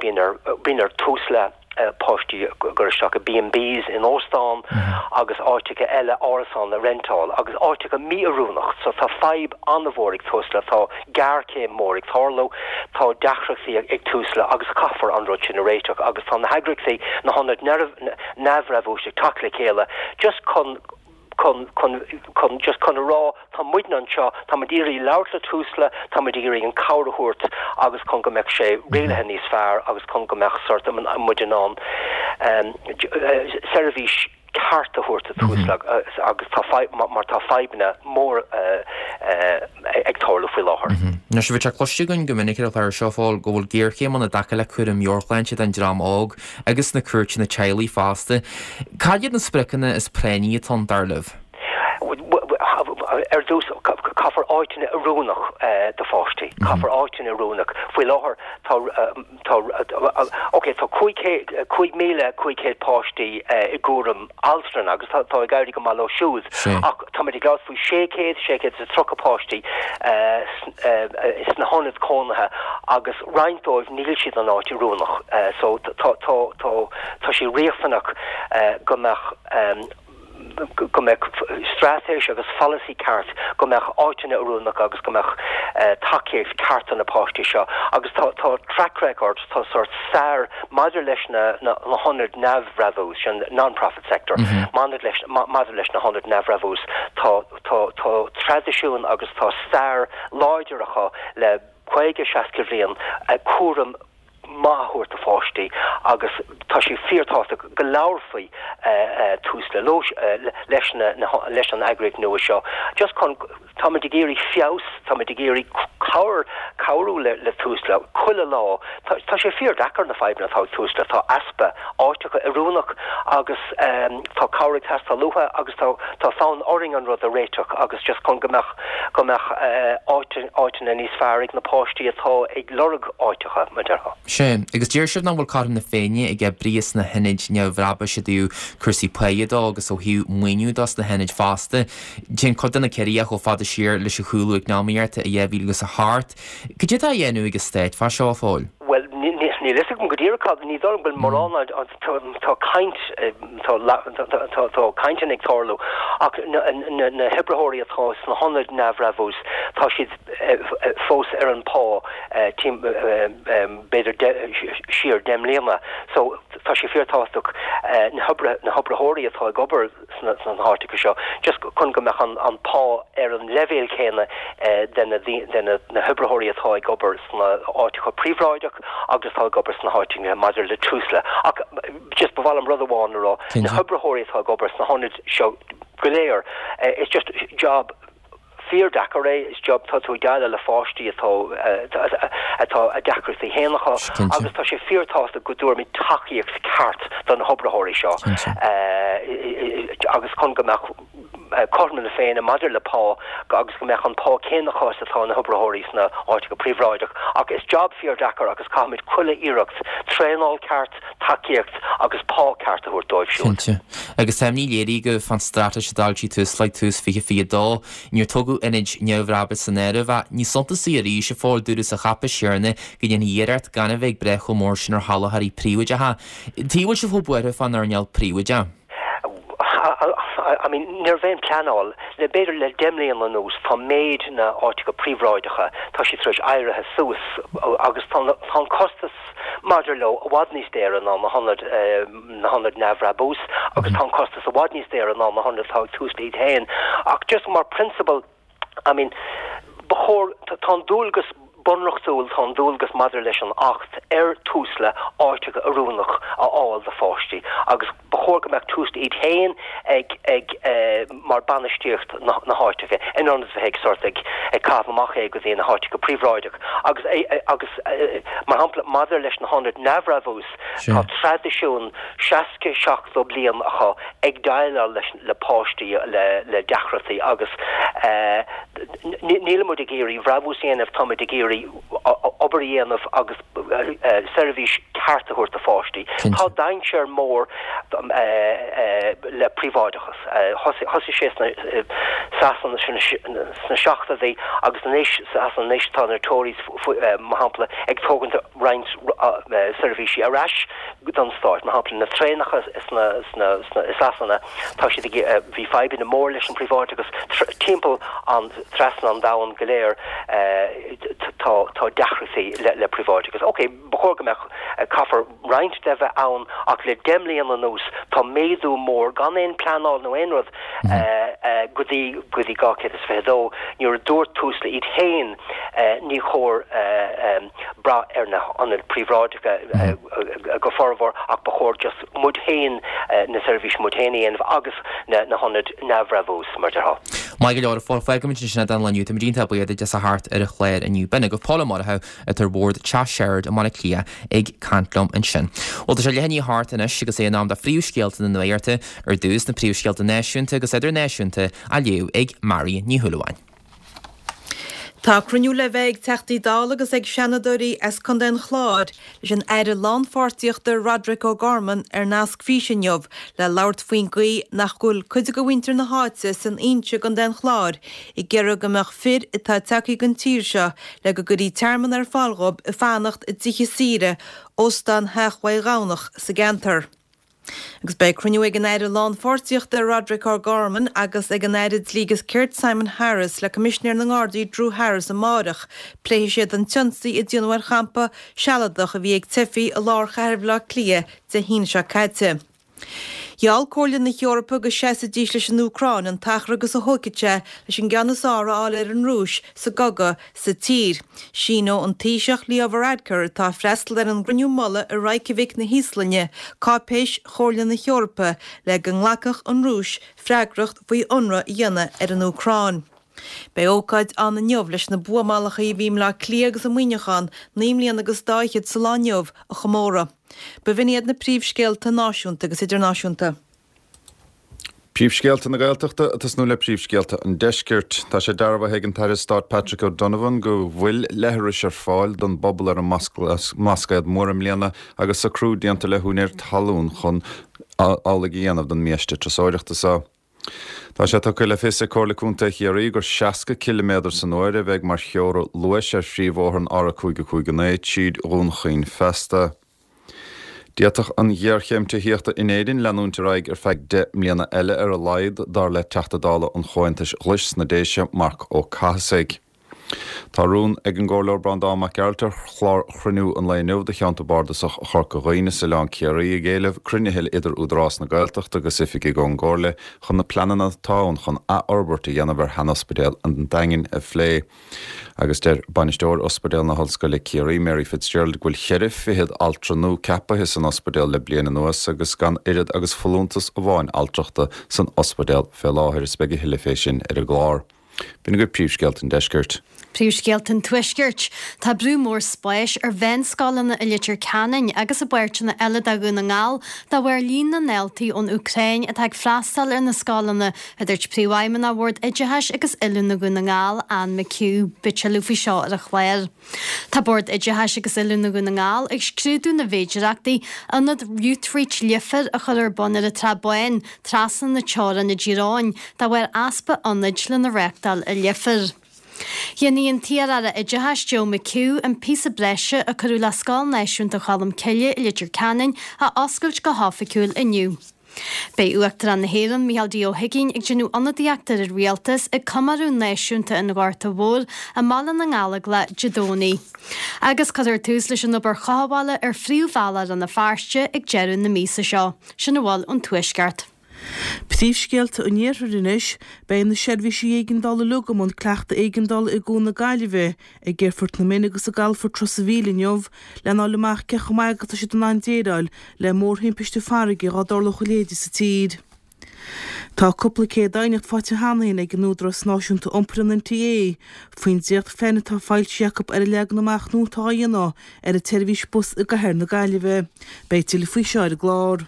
Bíonn ar bíonn ar Tusla páistí a chur isteach i B&Bs in óstán agus áiteacha eile, árasáin a rentáil agus áiteacha mí-oiriúnach. So tá fadhb an-mhór ag Tusla. Tá géarchéim mór ag tarlú, tá deacrachtaí ag Tusla agus caithfear an rud sin a réiteach agus tá na heagraíochtaí, na hionaid neamhbhrabúis ag teacht le chéile just chun, chun, chun, chun, just chun a rá tá muidne anseo, tá muid iarraidh labhairt le Tusla, tá muid iarraidh an cabhair a thabhairt agus chun go mbeadh sé rialaithe níos fearr agus chun go mbeadh sort muid in ann seirbhís ceart a thabhairt do Tusla agus tá mar tá fadhbanna mór ag tarlú faoi láthair. Anois, bhí sé cloiste againn go minic ar an chlár seo, a Phóil, go bhfuil géarchéim ann i dtaca le cúram meabhairshláinte don dream óg agus sna cúirteanna teaghlaigh fosta. Cad iad na spriocanna is práinní atá ann, dar libh? Ar dtús, caithfear áiteanna oiriúnach do pháistí. Caithfear áiteanna oiriúnach. Faoi láthair, tá. Tá, ok, tá 5,500 páistí i gcúram altrana agus tá ag éirí go maith leo siúd ach táimid ag labhairt faoi 600, 630 páistí sna hionaid cónaithe agus roinnt dóibh níl siad in áit oiriúnach so tá, tá, tá, tá sé riachtanach go mbeadh go mbeadh straitéis agus pholasaí ceart, go mbeadh áiteanna oiriúnach agus go mbeadh tacaíocht ceart do na páistí seo. Agus tá tá track record, tá sórt stair maidir leis na na hionaid neamhbhrabúis, an non-profit sector, maidir leis maidir leis na hionaid neamhbhrabúis, tá tá tá traidisiún agus tá stair láidir acu le 50, 60 bhliain cúram maith a thabhairt do pháistí agus tá sé fíorthábhachtach go labharfaí Tusla leis na leis an eagraíocht nua seo just chun táimid ag iarraidh feabhas, táimid ag iarraidh cabhair cabhrú le le Tusla chuile lá. Tá tá sé fíordeacair na fadhbanna atá ag Tusla, tá easpa áiteacha oiriúnach agus tá cabhair ag teastáil uathu agus tá tá fonn orainn an rud a réiteach agus just chun go mbeadh go mbeadh áiteanna níos fearr ag na páistí atá ag lorg áiteacha, mar déarfá. Sea, agus deir sibh nach bhfuil cothrom na Féinne ag oibrithe sna hionaid neamhbhrabúis i dtaobh cúrsaí páighe dó agus ó thaobh maoiniú dó sna hionaid fosta. Téann cuid de na ciorruithe chomh fada siar leis an chúlú eacnamaíochta i 2008. Cad é atá á dhéanamh ag an Stát fá seo, a Phóil? Bhuel, níl a fhios agam go díreach cad, ní dóigh liom go bhfuil mórán, tá caint, tá cainteanna ag tarlú ach na hoibritheoirí atá sna hionaid neamhbhrabúis, tá siad fós ar an pá b'fhéidir siar 10 mbliana. So tá sé fíorthábhachtach na hoibritheoirí atá ag obair sna háiteacha seo just chun go mbeadh an pá ar an leibhéal céanna de na hoibritheoirí atá ag obair sna áiteacha príobháideach agus atá ag obair sna háiteacha maidir le Tusla. Ach just ba mhaith liom rud amháin a rá, na hoibritheoirí atá ag obair sna hionaid seo go léir, it's just job fíordeacair é, is job, tá tú ag déileáil le pháistí atá, atá a deacrachtaí féin acu agus tá sé fíorthábhachtach go dtabharfaimid tacaíocht ceart do na hoibritheoirí seo agus chun go mbeadh cothrom na Féinne maidir le pá agus go mbeadh an pá céanna acu is atá na hoibritheoirí sna háiteacha príobháideach. Ach is job fíordeacair agus caithfimid chuile iarracht traenáil ceart, tacaíocht agus pá ceart a thabhairt dóibh siúd. Cinnte. Agus tá imní léirithe agaibh fán straitéis a d'fhoilsigh Tusla ag tús 2022. Níor tógadh ionaid neamhbhrabúis san áireamh ach níos suntasaí arís, a Phóil, dúradh sa cháipéis chéanna go ndéanfaí iarracht gan a bheith ag brath chomh mór sin ar sholáthóirí príobháideacha. Cad chuige a bhfuil sibh chomh buartha fán earnáil phríobháideach? I mean, ní raibh aon pleanáil, le b'fhéidir le 10 mbliana anuas tá méid na áiteacha príobháideacha, tá siad tar éis éirithe suas agus tá an costas maidir leo i bhfad níos daora ná na hionaid, na hionaid neamhbhrabús agus tá an costas i bhfad níos daora ná na hionaid atá ag Tusla iad féin. Ach just mar prionsabal, I mean, ba chóir, tá an dualgas bunreachtúil, tá an dualgas maidir leis an Acht ar Tusla áiteacha oiriúnach a fháil do pháistí agus ba chóir. chóir go mbeadh Tusla iad féin ag ag mar bainistíocht na háiteacha in ionad a bheith ag sort ag ag caitheamh amach é go dtí na háiteacha príobháideach agus agus mar shampla maidir leis na hionaid neamhbhrabús tá traidisiún 60, 70 bliain acu ag déileáil leis le páistí le le deacrachtaí agus nílimid ag iarraidh brabús a dhéanamh táimid ag iarraidh obair a dhéanamh agus seirbhís ceart a thabhairt do pháistí. Tá dainséar mór le príobháideachas. Thosaigh sé sna Sasana sna seachtóidí agus anois Sasana anois tá na Tories mar shampla ag tógaint roinnt seirbhísí ar ais don stát. Mar shampla na traenacha sna i Sasana tá siad ag bhí fadhbanna mór leis an príobháideachas timpeall an trasna an domhan go léir tá tá deacrachtaí le le príobháideachas. Ok, ba chóir go mbeadh caithfear roinnt de bheith ann ach le 10 mbliana anuas tá méadú mór gan aon pleanáil nó aon rud go dtí go dtí 222 nuair a dúirt Tusla iad féin ní chóir brath ar na hionaid príobháideacha go formhór ach ba chóir just muid féin na seirbhísí muid féin a dhéanamh agus na hionaid neamhbhrabús mar déarfá. Maith go leor, a Phóil, fágfaimid ansin é don lá inniu. Táimid iontach buíoch duit as a theacht ar an chlár inniu. B'in agaibh Pól Ó Murchú atá ar bhord Teach Sherard i mBaile Átha Cliath ag caint liom ansin. Bhuel tá sé leath i ndiaidh a hocht anois agus é in am do phríomhscéalta na nuachta, ar dtús na príomhscéalta náisiúnta agus idirnáisiúnta á léamh ag Marion Ní Shúilleabháin. Tá cruinniú le bheith ag Teachtaí Dála agus ag Seanadóirí as Contae an Chláir leis an Aire Lánpháirtíochta Roderic O'Gorman ar nasc físe inniu le labhairt faoin gcaoi nach bhfuil cuid de mhuintir na háite san Inse i gContae an Chláir ag iarraidh go mbeadh fir atá tagtha den tír seo le go gcuirí tearmann ar fáil dhóibh ag fanacht i dtithe saoire Óstán Theach Mhaigh Ghamhnach sa gceantar. Agus beidh cruinniú ag an Aire Lánpháirtíochta Roderic O'Gorman agus ag an Aire Dlí agus Cirt Simon Harris le Coimisinéir na nGardaí Drew Harris amáireach. Pléifidh siad an t-ionsaí a déanadh ar champa sealadach a bhí ag teifigh i lár chathair Bhaile Átha Cliath Dé hAoine seo caite. Gheall Comhairle na hEorpa go seasfaidís leis an Úcráin an t-achar agus a thógfaidh sé leis an gceann is fearr a fháil ar an Rúis sa gcogadh sa tír. Síneoidh an Taoiseach Leo Varadkar, atá ag freastal ar an gcruinniú mullaigh i Reykjavik na hÍoslainne, cáipéis Chomhairle na hEorpa le go nglacfadh an Rúis freagracht faoi ionradh a dhéanamh ar an Úcráin. Beidh ócáid ann inniu leis na buamálacha a bhí i mBleá Cliath agus i Muineachán naoi mbliana agus dá fhichead sa lá inniu a chomóradh. B'in iad na príomhscéalta náisiúnta agus idirnáisiúnta. Príomhscéalta na Gaeltachta ag tosnú le príomhscéalta an Deiscirt. Tá sé dearbhaithe ag an tAire Stáit Patrick O'Donovan go bhfuil leithris ar fáil don bpobal ar an mBlascaod Mór i mbliana agus socrú déanta le húinéir talún chun amhlaidh a dhéanamh don mbiaiste turasóireachta seo. Tá sé tugtha le fios ag Comhairle Contae Chiarraí gur 60 ciliméadar san uair a bheidh mar theora luais ar phríomhbhóthar an R559 tríd Dhún Chaoin feasta. D'fhéadfadh an ghéarchéim tithíochta in Éirinn leanúint ar aghaidh ar feadh 10 mbliana eile ar a laghad, dar le Teachta Dála an Chomhaontais Ghlais sna Déise, Marc Ó Cathasaigh. Tá rún ag an gComhairleoir Breandán Mac Gearailt ar chlár chruinniú an lae inniu do Cheantar Bardasach Chorca Dhuibhne is Oileán Ciarraí ag éileamh cruinnithe idir Údarás na Gaeltachta agus oifigigh ón gComhairle chun na pleananna atá ann chun athfhorbairt a dhéanamh ar shean-ospidéal an Daingin a phlé. Agus deir Bainisteoir Ospidéal na hOllscoile Ciarraí, Mary Fitzgerald go bhfuil cheithre fichead altra nua ceapaithe san ospidéal le bliain anuas agus gan oiread agus folúntas amháin altrachta san ospidéal fé láthair. Is beidh a thuilleadh fé sin ar an gclár. B'in agaibh príomhscéalta an Deiscirt. Príomhscéalta an Tuaiscirt. Tá brú mór spáis ar mheánscoileanna i Leitir Ceanainn agus i bpáirteanna eile de Dhún na nGall de bharr líon na ndaltaí ón Úcráin atá ag freastal ar na scoileanna, a dúirt Príomhfheidhmeannach Bhord Oideachais agus Oiliúna Dhún na nGall, Anne McHugh. Beidh tuilleadh faoi seo ar an chlár. Tá Bord Oideachais agus Oiliúna Dhún na nGall ag scrúdú na bhféidireachtaí ionad Youthreach Leifear a chur ar bun ar an tSrath Bán, trasna na teorann i dTír Eoghain, de bharr easpa ionaid lena reáchtáil i Leifear. Déanfaidh an t-iar-aire Oideachais Joe McHugh an píosa breise a cuireadh le Scoil Náisiúnta Cholmcille i Leitir Ceanainn a oscailt go hoifigiúil inniu. Beidh Uachtarán na hÉireann, Micheál D. Ó hUigínn, ag déanamh ionadaíochta ar an Rialtas ag comóradh náisiúnta an Ghorta Mhóir i mBaile na nGallóglach Dé Domhnaigh. Agus cuirfear tús leis an obair chothabhála ar phríomhbhealach Rann na Feirste ag deireadh na míosa seo. Sin a bhfuil ón Tuaisceart. Príomhscéalta an Iarthair anois, Beidh na seirbhísí éigeandála uilig i mbun cleachtadh éigeandála i gCuan na Gaillimhe, ag Aerfort na Minne agus i gCalafort Ros a' Mhíl inniu lena fháil amach cé chomh maith agus atá siad in ann déileáil le mórthimpiste farraige dhá dtarlódh a leithéid sa tír. Tá cúpla céad aighneacht faighte cheana féin ag an Údarás Náisiúnta Iompair, an NTA, faoin dréachtphlean atá foilsithe acu ar an leagan amach nua atá á dhéanamh ar an tseirbhís bus i gcathair na Gaillimhe. Beidh tuilleadh faoi seo ar an gclár.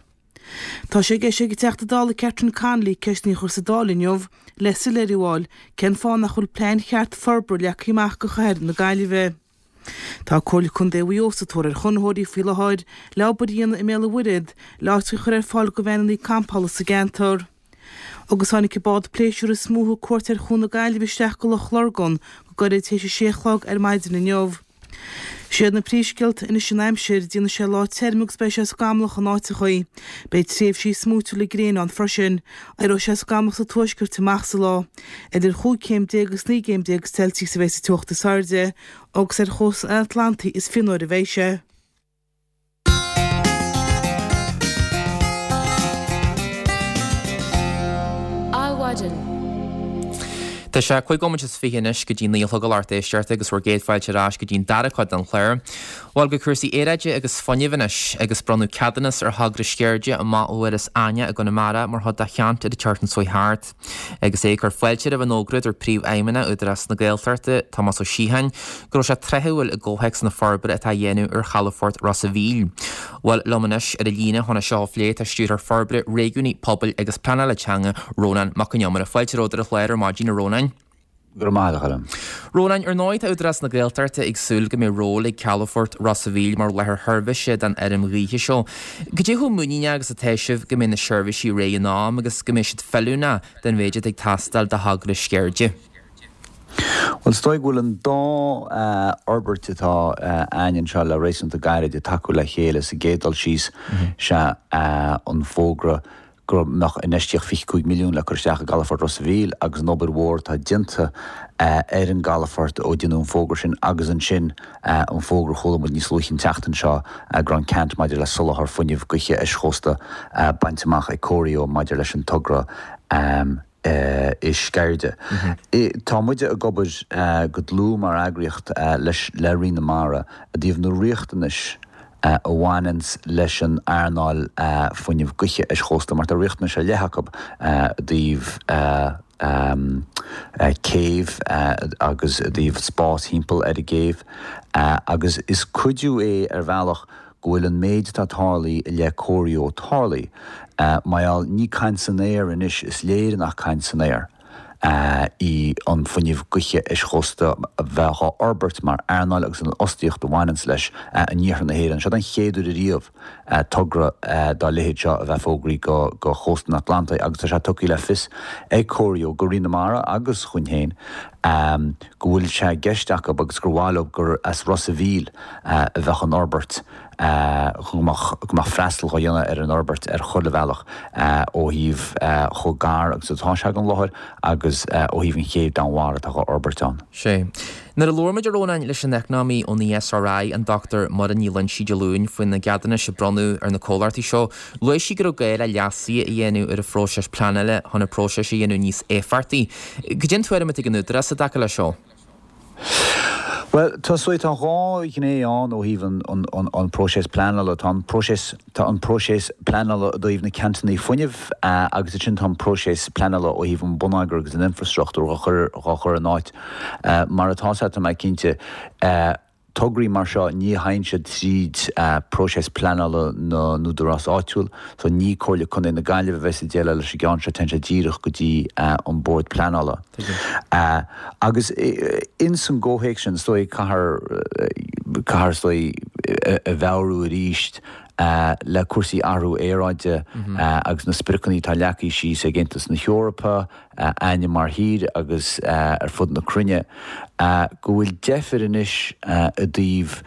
Tá sé i gceist ag an Teachta Dála Catherine Connolly ceisteanna a chur sa Dáil inniu le soiléiriú a fháil cén fáth nach bhfuil plean cheart forbartha leagtha amach do chathair na Gaillimhe. Tá Comhairle Contae Mhaigh Eo sa tóir ar chonraitheoirí faoi láthair le obair a dhéanamh i mBéal an Mhuirthead le áit a chur ar fáil do veaineanna campála sa gceantar. Agus tháinig an bád pléisiúir is mó a thug cuairt ar Chuan na Gaillimhe isteach go Loch Lurgan go gairid tar éis a sé a chlog ar maidin inniu. Siad na príomhscéalta anois an aimsir, déanfaidh sé lá tirim agus beidh sé scamallach in áiteachaí. Beidh tréimhsí smúitiúla gréine ann freisin. Éireoidh sé scamallach sa tuaisceart amach sa lá. Idir chúig chéim déag agus 19 gcéim Celsius a bheidh sa teocht is airde, agus ar chósta an Atlantaigh is fionnuaire a bheidh sé. Adhmhaidin. Tá sé 25 nóiméad anois go dtí 9 a chlog a lucht éisteachta agus bhur gcéad fáilte ar ais go dtí an dara cuid den chlár. Bhuel, go cúrsaí aeráide agus fuinnimh anois, agus bronnadh ceadúnas ar thogra Sceirde amach ó Iorras Aithneach i gConamara mar chuid de cheant ar an tseachtain seo thart. Agus é ag cur fáilte roimh an fhógra, dúirt Príomhfheidhmeannach Údarás na Gaeltachta, Tomás Ó Síocháin, go raibh sé tráthúil i gcomhthéacs na forbartha atá á dhéanamh ar chalafort Ros a' Mhíl. Bhuel, liom anois ar an líne chun é seo a phlé tá Stiúrthóir Forbartha Réigiúnaí, Pobail agus Pleanála Teanga, Rónán Mac Con Iomaire. Fáilte romhat ar an chlár ar maidin, a Rónáin. Go raibh maith agat, a Choilm. Rónáin, ar ndóigh tá Údarás na Gaeltachta ag súil go mbeidh ról ag calafort Ros a' Mhíl mar láthair sheirbhíse don fheirm ghaoithe seo. Cad é chomh muiníneach agus atá sibh go mbeidh na seirbhísí réidh in am agus go mbeidh siad feiliúnach don mhéid atá ag teastáil do thogra Sceirde? Bhuel, is dóigh go bhfuil an dá fhorbairt atá a'ainn anseo le réasúnta gairid ag tacú le chéile. Sa gcéad dul síos, sea an fógra go mbeadh infheistíocht 25 milliún le cur isteach i gcalafort Ros a' Mhíl agus an obair mhór atá déanta ar an gcalafort ó deineadh an fógra sin agus ansin an fógra a chuala muid níos luaithe an tseachtain seo go raibh an ceant maidir le soláthar fuinnimh gaoithe eischósta bainte amach ag Corio maidir leis an togra i Sceirde. Tá muide ag obair go dlúth mar eagraíocht leis le Roinn na Mara i dtaobh na riachtanais a bhaineanns leis an earnáil fuinnimh gaoithe eischósta mar tá riachtanais ar leith acu i dtaobh céibh agus i dtaobh spás thimpeall ar an gcéibh agus is cuidiú é ar bhealach go bhfuil an méid atá tarlaithe i leith Corio tarlaithe. Mar gheall, ní caint san aer anois, is léir nach caint san aer í an fuinneamh gaoithe eischósta a bheith á fhorbairt mar earnáil agus an fhostaíocht a bhaineanns leis in iarthar na hÉireann. Seo den chéad uair ariamh togra dá leithéid seo a bheith fógraithe go chósta an Atlantaigh agus tá sé tugtha le fios ag Corio go Roinn na Mara agus chugainn féin go bhfuil sé i gceist acu agus gur mhaith leo gur as Ros a' Mhíl a bheadh an fhorbairt, go mbeadh freastal dhá dhéanamh ar an fhorbairt ar chuile bhealach ó thaobh chomh gar agus atá sé don láthair agus ó thaobh an chéibh Danmhair atá dhá fhorbairt ann. Sea. Nuair a labhair muid, a Rónáin, leis an eacnamaí ón ESRI, an Dr Muireann Ní Loingsigh Dé Luain, faoi na ceadúnais a bronnadh ar na comhlachtaí seo, Luaigh sí go raibh gá le leasuithe a dhéanamh ar an phróiseas pleanála chun an próiseas a dhéanamh níos éifeachtaí. Cad é an tuairim atá ag an Údarás i dtaca leis seo? Bhuel, tá so tá dhá ghné ann ó thaobh an an próiseas pleanála. Tá an próiseas tá an próiseas pleanála i dtaobh na ceantanna fuinnimh agus ansin tá an próiseas pleanála ó thaobh an bonneagar agus an infreastruchtúr dhá chur dhá chur in áit. Mar atá sé tá mé cinnte. Tograí mar seo, ní théann siad tríd próiseas pleanála na n-údarás áitiúil, so ní Comhairle Contae na Gaillimhe a bheas ag déileáil leis an gceann seo, téann sé díreach go dtí an Bord Pleanála. Agus ins an gcomhthéacs sin, is dóigh, caithfear, caithfear is dóigh a mheabhrú arís le cúrsaí athrú aeráide agus na spriocanna atá leagtha síos ag Aontas na hEorpa, a'ainne mar thír agus ar fud na cruinne, go bhfuil deifir anois i dtaobh,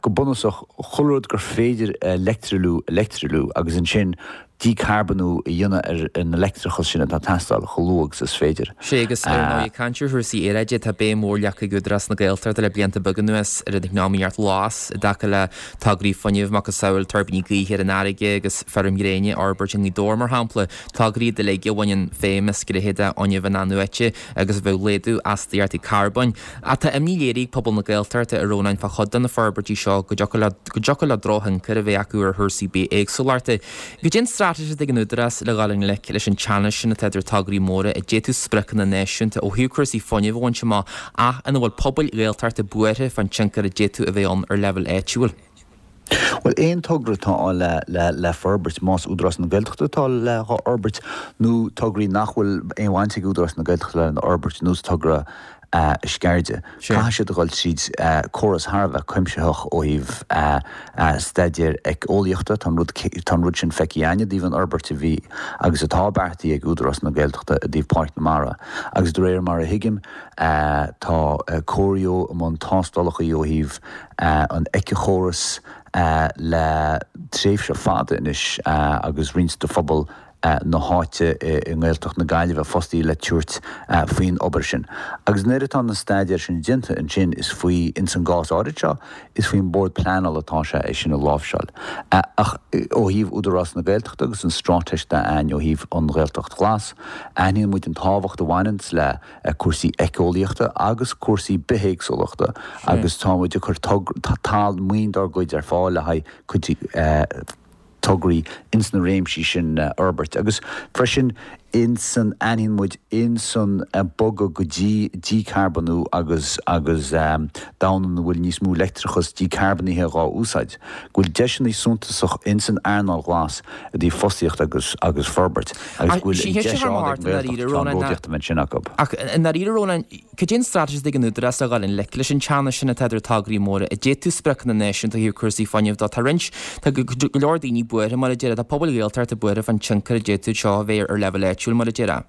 go bunúsach, chuile rud gur féidir a leictrealú a leictrealú agus ansin. dícarbonú a dhéanamh ar an leictreachas sin atá ag teastáil chomh luath agus is féidir. Sea, agus ar ndóigh, ag caint ar chúrsaí aeráide, tá béim mhór leagtha ag Údarás na Gaeltachta le blianta beaga anuas ar an eacnamaíocht ghlas i dtaca le tograí fuinnimh, macasamhail tuirbíní gaoithe ar an fharraige agus feirm ghréine a fhorbairt i nGaoth Dobhair, mar shampla. Tograí iad uilig a bhaineann feidhm as gnéithe de fhuinneamh in-athnuaite agus a bheadh ag laghdú astaíochtaí carbóin. Ach tá imní léirithe ag pobal na Gaeltachta, a Rónáin, fá chuid de na forbairtí seo go dtiocfadh leo drochthionchar a bheith acu ar chúrsaí bithéagsúlachta. Cad é an straitéis atá ag an Údarás le dhul i ngleic leis an teannas sin atá idir tograí móra a d'fhéadfadh spriocanna náisiúnta ó thaobh cúrsaí fuinnimh a bhaint amach ach ina bhfuil pobail Ghaeltachta buartha fán tionchar a d'fhéadfadh a bheith ann ar leibhéal áitiúil? Bhuel, aon togra atá le le forbairt, más Údarás na Gaeltachta atá le dhá fhorbairt nó tograí nach bhfuil aon bhaint ag Údarás na Gaeltachta lena fhorbairt, ar nós togra Sceirde, caithfidh siad a dhul tríd córas thar a bheith cuimsitheach ó thaobh staidéir éiceolaíochta. Tá an rud tá an rud sin feicthe againn i dtaobh an fhorbairt a bhí agus atá beartaithe ag Údarás na Gaeltachta i dtaobh Páirc na Mara agus de réir mar a thuigim tá Corio i mbun tástálacha ó thaobh an éiceachóras le tréimhse fada anois agus roinnt de phobal na háite i nGaeltacht na Gaillimhe fostaithe le tabhairt faoin obair sin. Agus nuair atá na staidéir sin déanta ansin is faoi, ins an gcás áirid seo, is faoin mBord Pleanála atá sé é sin a láimhseáil. Ach ó thaobh Údarás na Gaeltachta agus an straitéis atá againn ó thaobh an Ghaeltacht Ghlas, aithníonn muid an tábhacht a bhaineanns le cúrsaí éiceolaíochta agus cúrsaí bithéagsúlachta agus tá muid ag cur tal maoin dár gcuid ar fáil le haghaidh cuid tograí ins na réimsí sin a fhorbairt agus freisin ins an aithníonn muid ins an bogadh go dtí dícarbonú agus agus domhan ina bhfuil níos mó leictreachas dícarbanaithe dhá úsáid, go bhfuil deiseanna suntasach ins an earnáil ghlas i dtaobh fostaíocht agus agus forbairt agus go bhfuil an deis ann ag an nGaeltacht ceannródaíocht a bheith ansin acu. Ach i ndáiríre Rónán, cad é an straitéis atá ag an Údarás le dhul i ngleic leis an teannas sin atá idir tograí móra a d'fhéadfadh spriocanna náisiúnta ó thaobh cúrsaí fuinnimh dó? Tá roinnt, tá go leor daoine buartha mar a déarfá, tá pobail Ghaeltachta buartha fán tionchar a d'fhéadfadh seo a bheith ar leibhéal áitiúil mar a déarfá.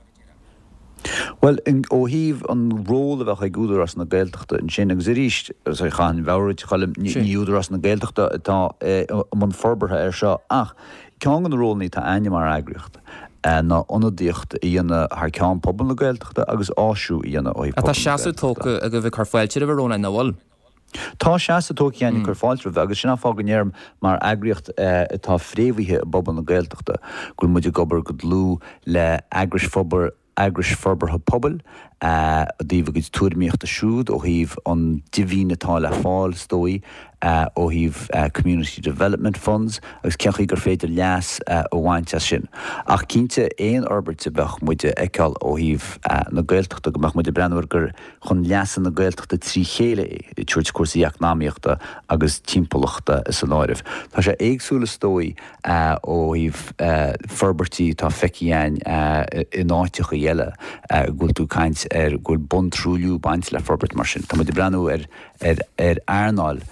Bhuel, ó thaobh an ról a bheadh ag Údarás na Gaeltachta ansin, agus arís, chaithfinn meabhrú duit, a Choilm, ní Údarás na Gaeltachta atá i mbun forbartha air seo, ach ceann de na rólanna atá againne mar eagraíocht ná ionadaíocht a dhéanamh thar ceann pobal na Gaeltachta agus áisiú a dhéanamh ó thaobh pobal na Gaeltachta. Tá seasamh tógtha agaibh ag cur fáilte roimhe, a Rónáin, nach bhfuil? Tá seasamh tógtha againn ag cur fáilte roimhe agus sin an fáth go ndeirim mar eagraíocht atá fréamhaithe i bpobal na Gaeltachta go bhfuil muid ag obair go dlúth le eagrais eagrais forbartha pobail i dtaobh a gcuid tuairimíochta siúd ó thaobh an dividend atá le fáil is dóigh ó thaobh Community Development Funds agus cén chaoi gur féidir leas a bhaint as sin. Ach cinnte aon fhorbairt a bheadh muid a fheiceáil ó thaobh na Gaeltachta go mbeadh muid ag breathnú air gur chun leasa na Gaeltachta trí chéile é, ag tabhairt cúrsaí eacnamaíochta agus timpeallachta san áireamh. Tá sé éagsúil is dóigh ó thaobh forbairtí atá feicthe againn in áiteachaí eile go bhfuil tú ag caint ar go bhfuil buntruailliú ag baint le forbairt mar sin. Tá muid ag breathnú ar ar earnáil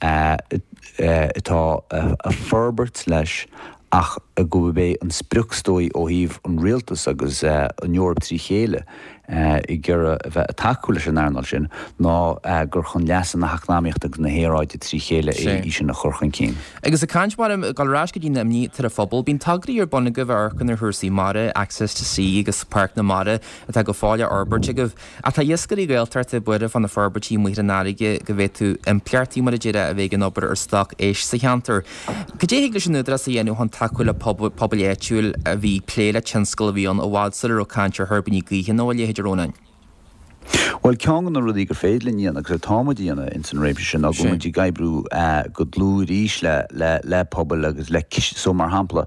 atá ag forbairt leis ach gurb é an sprioc is dóigh ó thaobh an rialtas agus an Eoraip trí chéile ag iarraidh a bheith ag tacú leis an earnáil sin ná gur chun leasa na heacnamaíochta agus na haeráide trí chéile é í sin a chur chun cinn. Agus ag caint mar ag dul ar ais go dtí na imní atá ar an phobal, bíonn tograí ar bun agaibh a amharcann ar chúrsaí mara, Access to Sea agus Páirc na Mara atá go fóill á fhorbairt agaibh. Ach tá iascairí Gaeltachta buartha fá na forbairtí amuigh ar an fharraige go bhféadfadh impleachtaí, mar a déarfá, a bheith ag an obair ar stoc éisc sa cheantar. Cad é a thig leis an Údarás a dhéanamh chun tacú le pobail áitiúil a bhí ag plé le tionscal a bhí ann i bhfad sula raibh caint ar thuirbíní gaoithe nó a leithéid, a Rónáin? Bhuel, ceann de na rudaí gur féidir linn a dhéanamh, agus atá muid a dhéanamh ins an réimse sin, ná go bhfuil muid ag oibriú go dlúth arís le, le, le pobail agus le cistí, so mar shampla,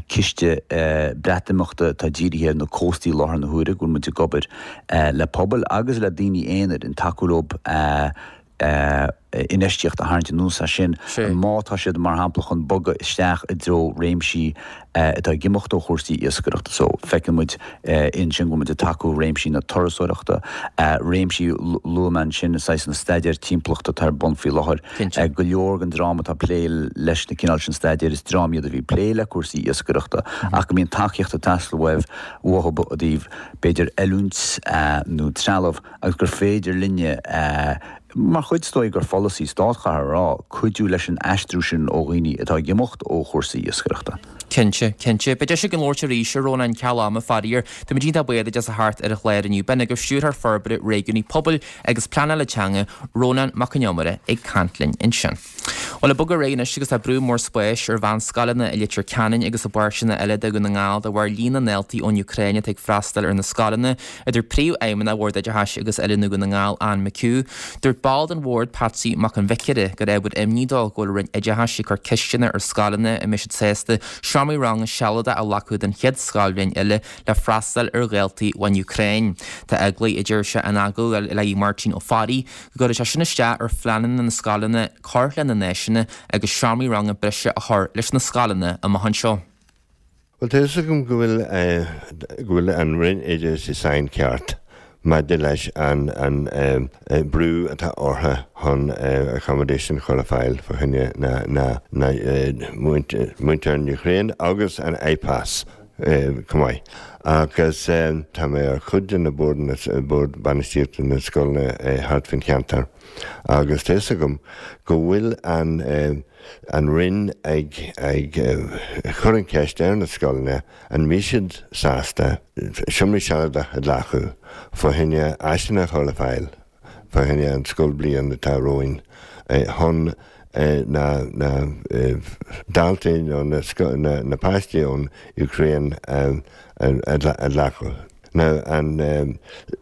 ciste Breatimeachta atá dírithe ar na cóstaí i láthair na huaire, go bhfuil muid ag obair le pobail agus le daoine aonair ag tacú leo infheistíocht a tharraingt anuas as sin má tá siad mar shampla chun bogadh isteach i dtreo réimsí atá ag imeacht ó chúrsaí iascaireachta. So feiceann muid ansin go bhfuil muid ag tacú réimsí na turasóireachta, réimsí luaigh mé ansin saghas na staidéir timpeallachta atá ar bun faoi láthair. Go leor den dream atá ag plé leis na cineál sin staidéir, is dream iad a bhí ag plé le cúrsaí iascaireachta ach go mbíonn tacaíocht ag teastáil uaibh, uathu i dtaobh b'fhéidir oiliúint nó trealamh agus gur féidir linne, mar chuid is dóigh gur pholasaí stáit chaithfear a rá, cuidiú leis an aistriú sin ó dhaoine atá ag imeacht ó chúrsaí iascaireachta. Cinnte, cinnte. Beidh deis againn labhairt arís, a Rónáin, ceal ama, faraor. Táimid iontach buíoch duit as a theacht ar an chlár inniu. B'in agaibh Stiúrthóir Forbartha Réigiúnaí Pobail agus Pleanála Teanga, Rónán Mac Con Iomaire, ag caint linn ansin. Bhuel, ag bogadh ar aghaidh anois agus tá brú mór spáis ar mheánscoileanna i Leitir Ceanainn agus i bpáirteanna eile de Dhún na nGall de bharr líon na ndaltaí ón Úcráin atá ag freastal ar na scoileanna, a dúirt Príomhfheidhmeannach Bhord Oideachais agus Oiliúna Dhún na nGall, Anne McHugh. Dúirt ball den bhord, Patsy Mac an Bhiocaire, gur ábhar imní dó go bhfuil an Roinn Oideachais ag cur ceisteanna ar scoileanna an mbeidh siad sásta seomraí ranga sealadacha a ghlacadh don chéad scoilbhliain eile le freastal ar dhaltaí ón Úcráin. Tá eagla, a deir sé in agallamh le Máirtín Ó Fearraigh, go gcuirfidh sé sin isteach ar phleananna na scoileanna cur lena n-áiseanna agus seomraí ranga breise a chur leis na scoileanna amach anseo. Bhuel, tá fhios agam go bhfuil, go bhfuil an Roinn Oideachais i saincheart maidir leis an, an brú atá orthu chun accommodation a chur ar fáil fá choinne na, na, na muintir an Ukraine agus an IPAS chomh maith. Agus tá mé ar chuid de na boird, bord bainistíochta na scoileanna thart faoin cheantar agus tá fhios agam go bhfuil an, an Roinn ag ag cur an cheist ar na scoileanna an mbeidh siad sásta seomraí sealadacha a ghlacadh fá choinne áiseanna a chur le fáil fá choinne an scoilbhliain atá romhainn chun na na daltaí nó na na páistí ón Úcráin a a ghlacadh. Now an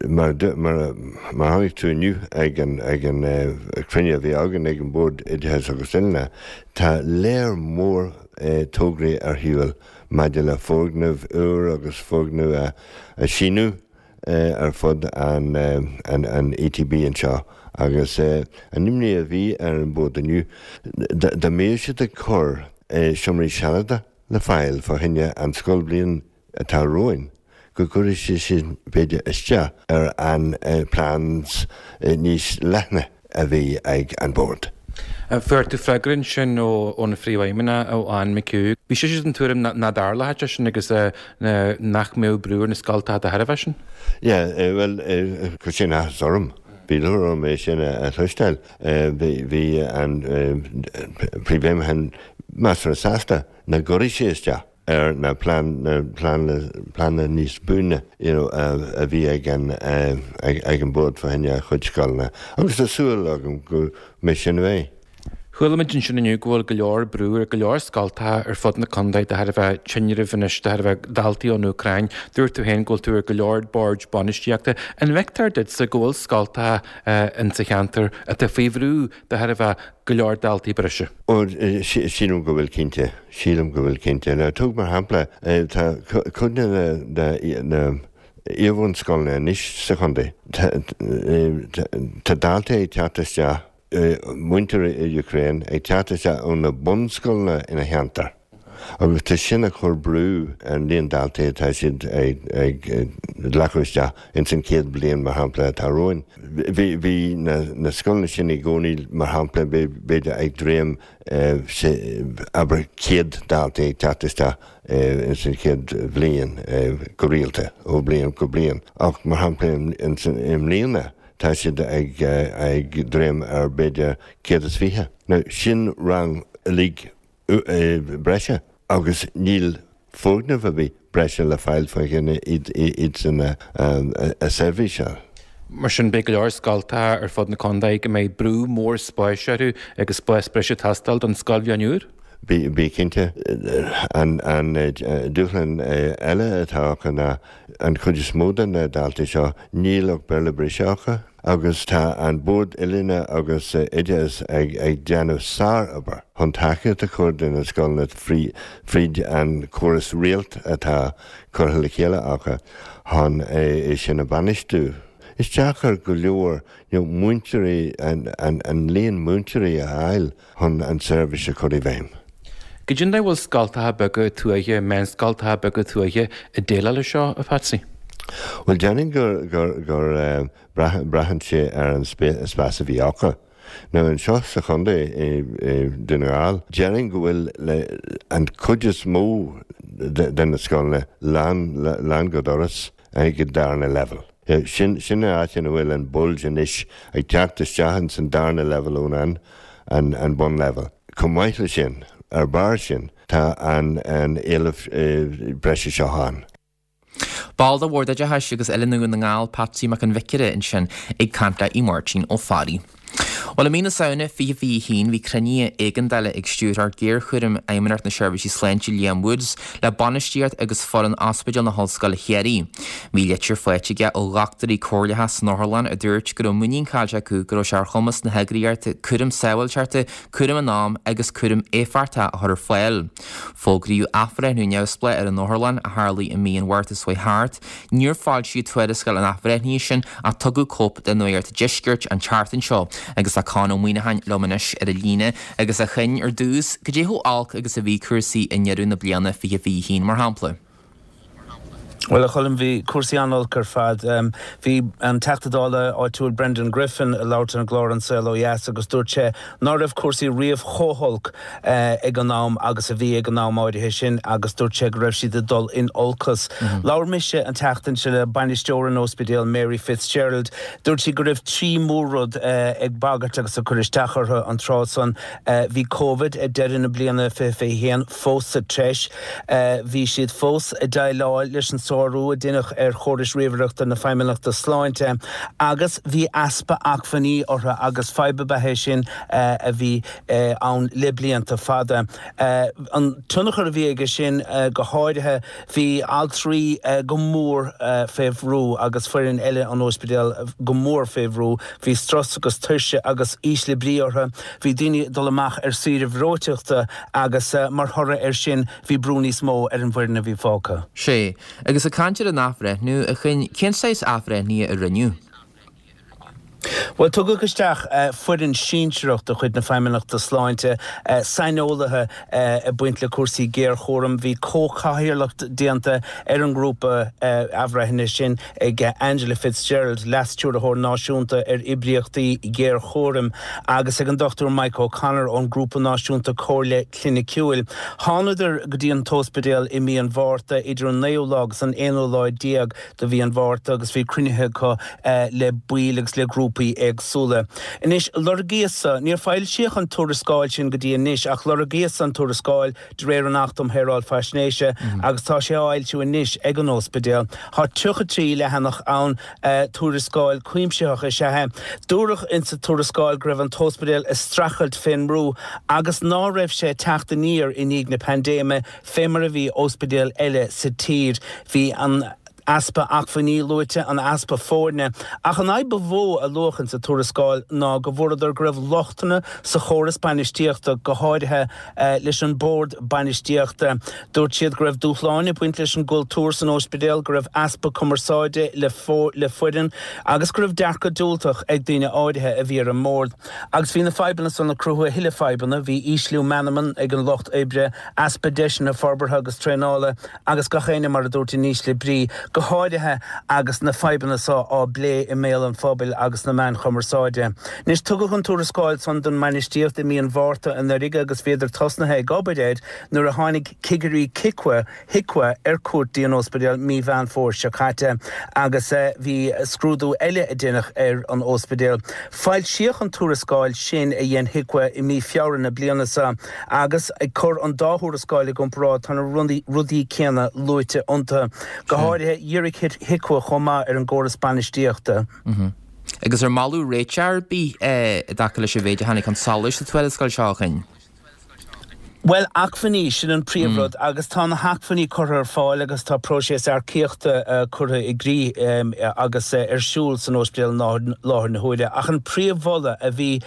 mar mar mar chonaic tú inniu ag an ag an cruinniú a bhí againn ag an Bord Oideachais agus Oiliúna, tá léar mór tograí ar shiúl maidir le foirgneamh úr agus foirgneamh a a shíniú ar fud an an ETB anseo agus an imní a bhí ar an Bhord inniu dá mbeadh siad ag cur seomraí sealadacha le fáil fá choinne an scoilbhliain atá romhainn, go gcuirfidh sé sin b'fhéidir isteach ar an plans níos leithne a bhí ag an Bord. Fuair tú freagra ansin ón Phríomhfheidhmeannach, ó Anne McHugh. Bhí sise den tuairim nach dtarlódh sé sin agus nach mbeadh brú ar na scoltacha de thairbhe sin. Yeah, bhuel, chuir sin áthas orm. Bhí lúcháir orm é sin a chloisteáil. Bhí an Príomhfheidhmeannach measartha sásta nach gcuirfidh sé isteach ar na pleananna níos buaine you know a bhí ag an ag an Bord fá choinne a chuid scoileanna agus tá súil agam go mbeidh sin é. Chuala muid ansin inniu go bhfuil go leor brú ar go leor scoltacha ar fud na contae de thairbhe tinreamh anois de thairbhe daltaí ón Úcráin. Dúirt tú féin go bhfuil tú ar go leor boird bainistíochta. An bhfeictear duitse go bhfuil scoltacha insa cheantar atá faoi bhrú de thairbhe go leor daltaí breise? Ó, sílim go bhfuil cinnte. Sílim go bhfuil cinnte. Now, tóg mar shampla, tá cuid de na iarbhunscoileanna anois sa chontae, tá daltaí ag teacht isteach, muintir Ukraine ag teacht isteach ó na bunscoileanna ina cheantar agus tá sin ag cur brú ar an líon daltaí atá siad ag glacadh isteach ins an chéad bhliain, mar shampla, atá romhainn. Bhí na scoileanna sin i gcónaí, mar shampla, b'fhéidir ag dréim abair 100 dalta ag teacht isteach ins an chéad bhliain go rialta, ó bhliain go bliain. Ach mar shampla i mbliana tá siad ag dréim ar b'fhéidir 120. Now sin rang uilig breise agus níl foirgneamh ar bith breise le fáil fá choinne iadsan a seirbhíseáil. Mar sin, beidh go leor scoltacha ar fud na contae go mbeidh brú mór spáis orthu agus spás breise ag teastáil don scoilbhliain úr. Bí cinnte, an dúshlán eile atá acu ná an chuid is mó de na daltaí seo, níl ach Béarla breise acu agus tá an Bord Oiliúna agus Oideachais ag déanamh sár-obair chun tacaíocht a chur do na scoileanna fríd an córas Réalt atá curtha le chéile acu chun é sin a bhainistiú. Is deacair go leor múinteoirí, an líon múinteoirí a fháil chun an tseirbhís a chur i bhfeidhm. Goidé an dóigh a bhfuil scoltacha beaga tuaithe, meánscoltacha beaga tuaithe ag déileáil leis seo, a Phatsy? Bhuel, déarfainn gur, gur, gur braitheann sé ar an spás a bhí acu. Now anseo sa chontae, i Dún na nGall, déarfainn go bhfuil an chuid is mó de na scoileanna lán, lán go doras ag an darna leibhéal. Sin, sin an áit ina bhfuil an bulge anois ag teacht isteach ins an darna leibhéal ón an, an, an bunleibhéal. Chomh maith le sin. ar bharr sin tá an éileamh breise seo ann. Ball de Bhord Oideachais agus Oiliúna Dhún na nGall, Patsy Mac an Bhiocaire ansin ag caint le Máirtín Ó Fearraigh. Bhuel, i mí na Samhna 2021 bhí cruinnithe éigeandála ag Stiúrthóir Géarchúraim Fheidhmeannacht na Seirbhísí Sláinte Liam Woods le bainistíocht agus foireann Ospidéal na hOllscoile Chiarraí. Bhí litir faighte aige ó dhochtúirí comhairleacha san otharlann a dúirt go raibh muinín caillte acu go raibh sé ar chumas na heagraíochta cúram sábháilteachta, cúram in am agus cúram éifeachtach a chur ar fáil. Fógraíodh athbhreithniú neamhspleách ar an otharlann, a tharlaigh i mí an Mhárta seo thart. Níor foilsíodh tuarascáil an athbhreithnithe sin ach tugadh cóip do Nuacht an Deiscirt an tseachtain seo agus tá Conn Ó Muíneacháin liom anois ar an líne agus a Choinn, ar dtús, cad é chomh olc agus a bhí cúrsaí i ndeireadh na bliana 2021, mar shampla? Bhuel, a Choilm, bhí cúrsaí an-olc ar fad. Bhí an Teachta Dála áitiúil Brendan Griffin ag labhairt ar an gclár An Saol Ó Dheas agus dúirt sé ná raibh cúrsaí riamh chomh holc ag an am agus a bhí ag an am áirithe sin agus dúirt sé go raibh siad ag dul in olcas. Labhair mise an tseachtain seo le bainisteoir an óspidéil Mary Fitzgerald. Dúirt sí go raibh 3 mhór-rud ag bagairt agus ag cur isteach orthu an tráth san. Bhí Covid ag deireadh na bliana 2021 fós sa treis. Bhí siad fós ag déileáil leis an sárú a deineadh ar chórais ríomhaireachta na Feidhmeannachta Sláinte agus bhí easpa acmhainní orthu agus fadhb ab ea é sin a bhí ann le blianta fada. An tionchar a bhí aige sin go háirithe, bhí altraí go mór fé bhrú agus foireann eile an óispidéil go mór fé bhrú. Bhí strus agus tuirse agus ísle brí orthu. Bhí daoine ag dul amach ar saoire bhreoiteachta agus mar thoradh air sin bhí brú níos mó ar an bhfoireann a bhí fágtha. Sea. Agus ag caint ar an athbhreithniú, a Choinn, cén saghas athbhreithnithe a rinneadh? Bhuel, tugadh isteach foireann sinsearach de chuid na Feidhmeannachta Sláinte, saineolaithe ag baint le cúrsaí géarchúraim. Bhí comhchathaoirleacht déanta ar an ngrúpa athbhreithnithe sin ag Angela Fitzgerald, Leas-Stiúrthóir Náisiúnta ar Oibríochtaí Géarchúraim, agus ag an Dr Mike O'Connor ón Grúpa Náisiúnta Comhairle Cliniciúil. Thánadar go dtí an t-óspidéal i mí an Mhárta, idir an naoú lá agus an aonú lá déag de mhí an Mhárta, agus bhí cruinnithe acu le baill agus le grúpaí éagsúla. Anois, lorgaíodh-sa, níor foilsíodh an tuarascáil sin go dtí anois, ach lorgaíodh-sa an tuarascáil de réir an Achta um Shaoráil Faisnéise agus tá sé á fhoilsiú anois ag an óspidéal. Tá 33 leathanach ann. Tuarascáil cuimsitheach is ea é. Dúradh insa tuarascáil go raibh an t-óspidéal ag streachailt fén mbrú agus ná raibh sé ag teacht aniar i ndiaidh na paindéime fé mar a bhí óspidéil eile sa tír. Bhí an easpa acmhainní luaite, an easpa foirne. Ach an fhadhb ba mhó a luadh insa tuarascáil ná go bhfuaireadar go raibh lochtanna sa chóras bainistíochta, go háirithe leis an bord bainistíochta. Dúirt siad go raibh dúshláin ag baint leis an gcultúr san óispidéal, go raibh easpa cumarsáide le foireann agus go raibh dearcadh diúltach ag daoine áirithe a bhí ar an mbord. Agus bhí na fadhbanna san ag cruthú a thuilleadh fadhbanna, bhí ísliú meanman ag an lucht oibre, easpa deiseanna forbartha agus traenála agus gach éinne, mar a dúirt, in ísle brí, go háirithe agus na fadhbanna so á bplé i mbéal an phobail agus sna meáin chumarsáide. Anois, tugadh an tuarascáil san don mbainistíocht i mí an Mhárta anuraidh agus bhíodar tosnaithe ag obair air nuair a tháinig cigirí Cicwa, HIQA, ar cuairt dtí an óspidéal mí Mheán Fómhair seo caite agus bhí scrúdú eile a deineadh ar an óspidéal. Foilsíodh an tuarascáil sin a dhein HIQA i mí Feabhra na bliana seo agus ag cur an dá thuarascáil i gcomparáid tá na rudaí céanna luaite iontu. Go háirithe, dhírigh HIQA chomh maith ar an gcóras bainistíochta. Agus ar moladh réiteach ar bith i dtaca leis an mhéid a tháinig chun solais sa tuarascáil seo, a Choinn? Bhuel, acmhainní, sin an príomhrud agus tá na hacmhainní curtha ar fáil agus tá próiseas earcaíochta curtha i gcrích agus ar siúl san óispidéal i láthair na huaire. Ach an príomh-mholadh a bhí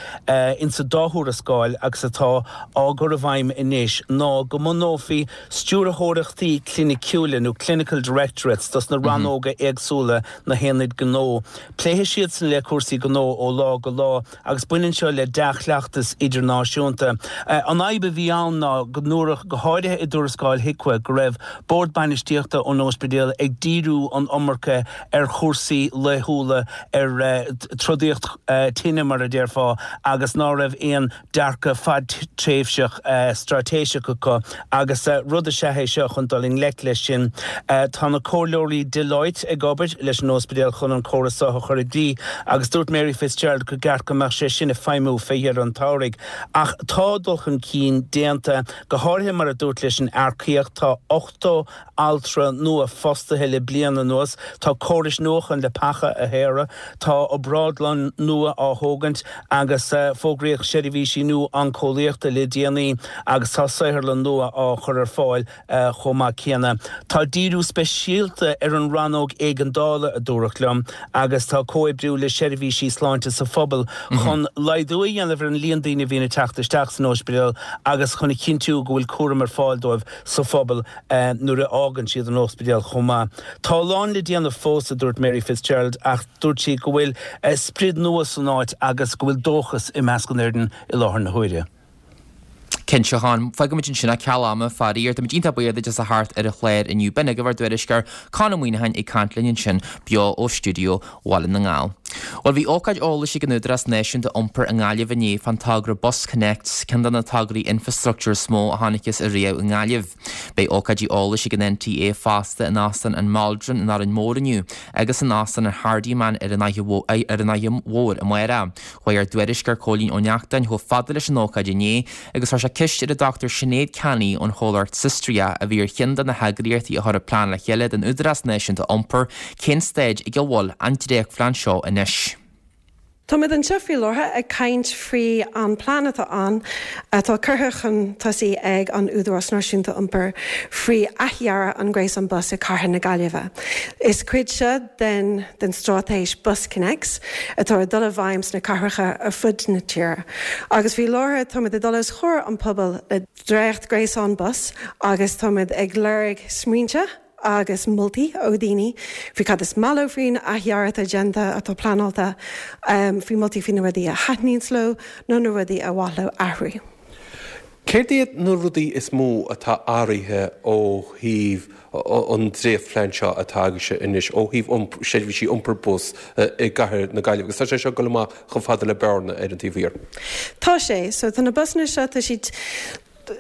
insa dá thuarascáil agus atá á gcur i bhfeidhm anois ná go mbunófaí stiúrthóireachtaí cliniciúla nó clinical directorates dos na rannóga éagsúla, na haonaid gnó. Pléifidh siadsan le cúrsaí gnó ó lá go lá. Agus baineann seo le dea-chleachtas idirnáisiúnta. An fhadhb a bhí ann ná go ndúradh, go háirithe i dtuarascáil HIQA, go raibh bord bainistíochta an óispidéil ag díriú an iomarca ar chúrsaí laethúla, ar trodaíocht tine mar a déarfá, agus ná raibh aon dearcadh fadtréimhseach straitéiseach acu agus rud is ea é seo chun dul i ngleic leis sin. Tá na comhairleoirí Deloitte ag obair leis an óspidéal chun an córas seo a chur i gcrích agus dúirt Mary Fitzgerald gur ceart go mbeadh sé sin ag feidhmiú fé dheireadh an tsamhraidh. Ach tá dul chun cinn déanta. déanta, go háirithe mar a dúirt leis an earcaíocht, tá 80 altra nua fostaithe le bliain anuas, tá córais nua chun leapacha a shaoradh, tá obrádlann nua á thógaint agus fógraíodh seirbhísí nua oncólaíochta le déanaí agus tá saotharlann nua á chur ar fáil chomh maith céanna. Tá díriú speisialta ar an rannóg éigeandála, a dúradh liom, agus tá comhoibriú le seirbhísí sláinte sa phobal chun laghdú a dhéanamh ar an líon daoine a bhíonn ag teacht isteach san ospidéal agus chun a chinntiú go bhfuil cúram ar fáil dóibh sa phobal nuair a fhágann siad an ospidéal chomh maith. Tá a lán le déanamh fós, a dúirt Mary Fitzgerald, ach dúirt sí go bhfuil sprid nua san áit agus go bhfuil dóchas i measc an fhoireann i láthair na huaire. Cinnte, a Chon. Fágfaimid ansin é, ceal ama, faraor. Táimid iontach buíoch duit as a theacht ar an chlár inniu. B'in agaibh ár dtuairisceoir, Conn Ó Muíneacháin ag caint linn ansin beo ó stiúideo Bhaile na nGall. Bhuel, bhí ócáid eolais ag an Údarás Náisiúnta Iompair i nGaillimh inné fán togra BusConnects, ceann de na tograí infreastruchtúir is mó a chonacthas ariamh i nGaillimh. Beidh ócáidí eolais ag an NTA fosta in Óstán an Maldron in Árainn Mhór inniu agus in Óstán an Hardiman ar an Fhaiche Mhór amárach. Chuaigh ár dtuairisceoir Cóilín Ó Neachtain chomh fada leis an ócáid inné agus chuir sé ceist ar an Dr Sinéad Canney ón chomhlacht Sistria, a bhí ar cheann de na heagraíochtaí a chuir an plean le chéile don Údarás Náisiúnta Iompair, cén staid ag a bhfuil an dréachtphlean seo anois. Táimid anseo faoi láthair ag caint faoi an plean atá ann, atá curtha chun tosaigh ag an Údarás Náisiúnta Iompair faoi athdhearadh an gréasán bus i Cathair na Gaillimhe. Is cuid seo den den straitéis BusConnects atá ag dul i bhfeidhm sna cathracha ar fud na tíre. Agus faoi láthair táimid ag dul os comhair an pobail le dréacht gréasán bus agus táimid ag lorg smaointe agus moltaí ó dhaoine faoi cad is maith leo faoin athdhearadh atá déanta, atá pleanáilte, faoi moltaí faoi na rudaí a thaitníonns leo nó na rudaí ar mhaith leo athrú. Céard iad na rudaí is mó atá athraithe ó thaobh an dréachtphlean seo atá agaibhse anois, ó thaobh seirbhísí iompair bus i gcathair na Gaillimhe? Agus tá sé seo ag dul amach chomh fada le Bearna ar an taobh thiar. Tá sé. So tá na busanna seo, tá siad,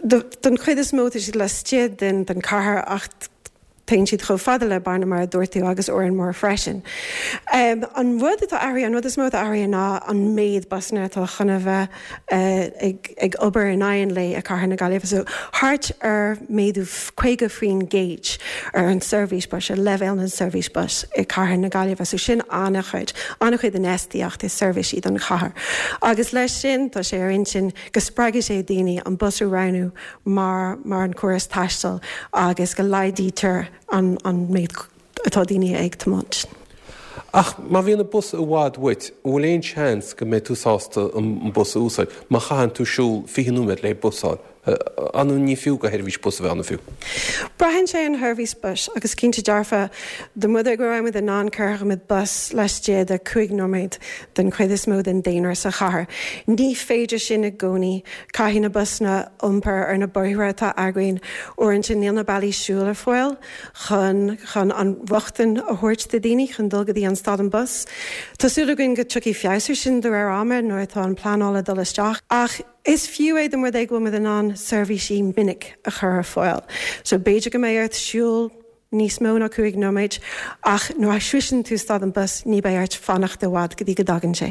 don chuid is mó, tá siad laistigh den chathair ach Téann siad chomh fada le Bearna mar a dúirt tú agus Órán Mór freisin. An rud atá athraithe, an rud is mó atá athraithe ná an méid busanna atá chun a bheith ag obair in aghaidh an lae i Cathair na Gaillimhe. So thart ar méadú 50% ar an seirbhís bus, ar leibhéal na seirbhís bus i Cathair na Gaillimhe. So sin an-chuid, an-chuid infheistíocht i seirbhísí don chathair. Agus leis sin tá sé ar intinn go spreagfaidh sé daoine an bus a roghnú mar mar an córas taistil agus go laghdaítear an an méid atá daoine ag tiomáint. Ach má bhíonn an bus i bhfad uait, an bhfuil aon seans go mbeidh tú sásta an bus a úsáid má chaitheann tú siúl 20 nóiméad le bus a fháil? An ní fiú do sheirbhís bus a bheith ann fiú? Braitheann sé ar an sheirbhís bus agus cinnte dearfa dá mba rud é go raibh muid in ann cuirfidh bus laistigh de 5 nóiméad den chuid is mó den daonra sa chathair. Ní féidir sin i gcónaí. Caithfidh na busanna iompar ar na bóithre atá againn. Uaireanta níl na bealaí siúil ar fáil chun chun an rochtain a thabhairt do dhaoine chun dul go dtí an stad an bus. Tá súil againn go tiocfaidh feabhas ar sin de réir ama nuair atá an pleanáil ag dul isteach. Ach is fiú é dá mba rud é go bhfuil muid in ann seirbhísí minic a chur ar fáil. So b'fhéidir go mbeidh ort siúl níos mó ná 5 nóiméad, ach nuair a shroiseann tú stad an bus ní beidh ort fanacht i bhfad go dtí go dtagann sé.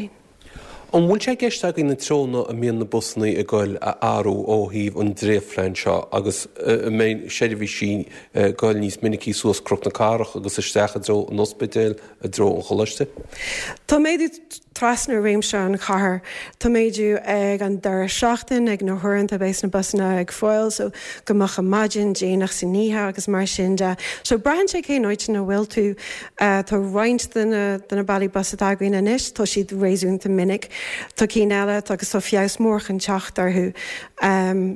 An bhfuil sé i gceist agaibh na treonna a mbíonn na busanna ag goil a athrú ó thaobh an dréachtphlean seo agus an mbeidh seirbhísí ag goil níos minicí suas Cnoc na Cathrach agus isteach i dtreo an ospidéil, i dtreo an choláiste? Tá méadú trasna réimse an chathair. Tá méadú ag an deireadh seachtain, ag na huaireanta a bheas na busanna ag fáil, so go moch ar maidin, déanach san oíche agus mar sin de. So braitheann sé cén áit ina bhfuil tú. Tá roinnt de na de na bealaí bus atá againn anois, tá siad réasúnta minic. Tá cinn eile agus tá feabhas mór chun teacht orthu.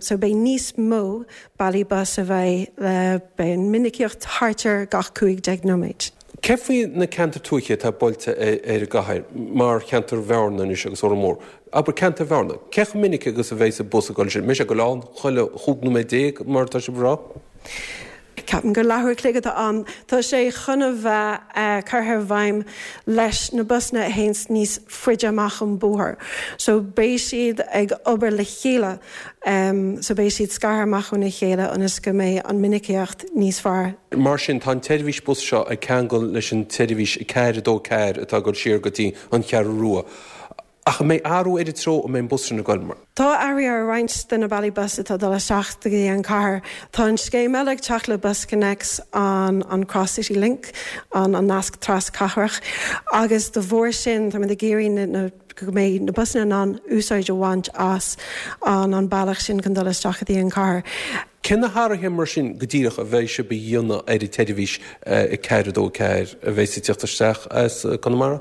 So beidh níos mó bealaí bus a bheidh le, beidh an minicíocht thart ar gach 15 nóiméad. Céard faoi na ceantair tuaithe atá buailte ar an gcathair, mar cheantar Bhearna anois agus Órán Mór? Abair ceantar Bhearna. Cé chomh minic agus a bheidh an bus ag dul sin? Mbeidh sé ag dul ann chuile chúig nóiméad déag mar atá sibh a rá? Ceapaim gur leathuair a chloig atá ann. Tá sé chun a bheith curtha i bhfeidhm leis na busanna a théanns níos faide amach ón bóthar. So beidh siad ag obair le chéile. So beidh siad scartha amach óna chéile ionas go mbeidh an minicíocht níos fearr. Mar sin, tá an tseirbhís bus seo ag ceangal leis an tseirbhís 4 2 4 atá ag dul siar go dtí an Cheathrú Rua. Ach an mbeidh athrú ar an treo a mbeidh an bus sin ag goil? Tá athruithe ar roinnt de na bealaí bus atá ag dul isteach go dtí an chathair. Tá an scéim eile ag teacht le BusConnects, an an Cross City Link, an an nasc tras-chathrach, agus de bharr sin táimid ag iarraidh na na go mbeidh na busanna in ann úsáid a bhaint as an an bealach sin chun dul isteach go dtí an chathair. Cé na hathruithe mar sin go díreach a bheidh sibh a dhéanamh ar an tseirbhís 4, 2, 4 a bheidh ag teacht isteach as Conamara?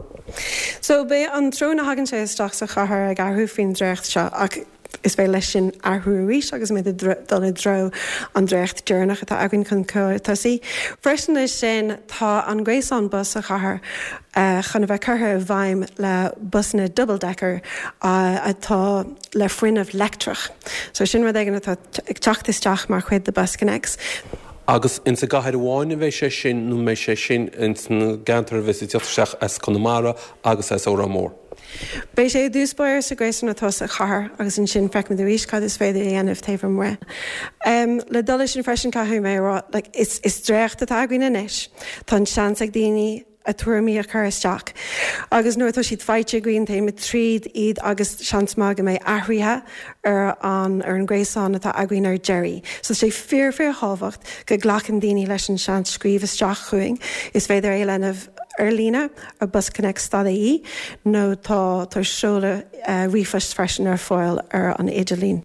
So beidh an treo ina thagann sé isteach sa chathair ag athrú faoin dréacht seo ach is féidir leis sin athrú arís agus muid ag dul i dtreo an dréacht deireanach atá againn chun cur tosaigh. Freisin leis sin tá an gréasán bus sa chathair chun a bheith curtha i bhfeidhm le busanna double decker atá le fuinneamh leictreach. So sin rud éigin atá ag teacht isteach mar chuid de BusConnects. Agus ins an gcathair amháin a bheidh sé sin nó an mbeidh sé sin ins na gceantair a bheas ag teacht isteach as Conamara agus as Órán Mór? Beidh sé i dtús báire sa ghréasán atá sa chathair agus ansin feicfimid arís cad is féidir a dhéanamh taobh amuigh. Le dul leis sin freisin caithfidh mé a rá, like, is is dréacht atá againn anois. Tá an seans ag daoine a tuairimí a chur isteach agus nuair atá siad faighte againn téimid tríd iad agus seans maith go mbeidh athruithe ar an ar an ngréasán atá againn ar deireadh. So tá sé fíor fíor thábhacht go nglacann daoine leis an seans scríobh isteach chugainn. Is féidir é a dhéanamh ar líne ar busconnects.ie nó tá tá seoladh ríomhphoist freisin ar fáil ar an idirlíon.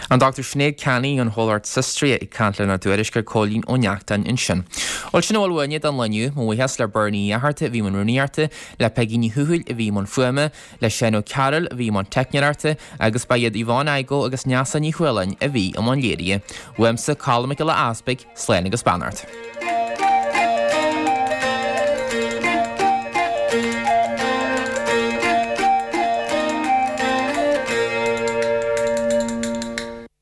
An Dr Sinéad Canny ón chomhlacht Sustraya ag caint lenár dtuairisceoir Cóilín Ó Neachtain ansin. Bhuel sin a bhfuil uainne don lá inniu. Mo bhuíochas le Bernie Uí Fhatharta a bhí i mbun rúnaíochta, le Peigí Ní Thuathail a bhí i mbun fuaime, le Seán Ó Cearúil a bhí i mbun teicneoireachta agus ba iad Yvonne Igoe agus Neasa Ní Chualáin a bhí i mbun léirithe. Uaimse, Colm Mac Giolla Easpaig, slán agus beannacht.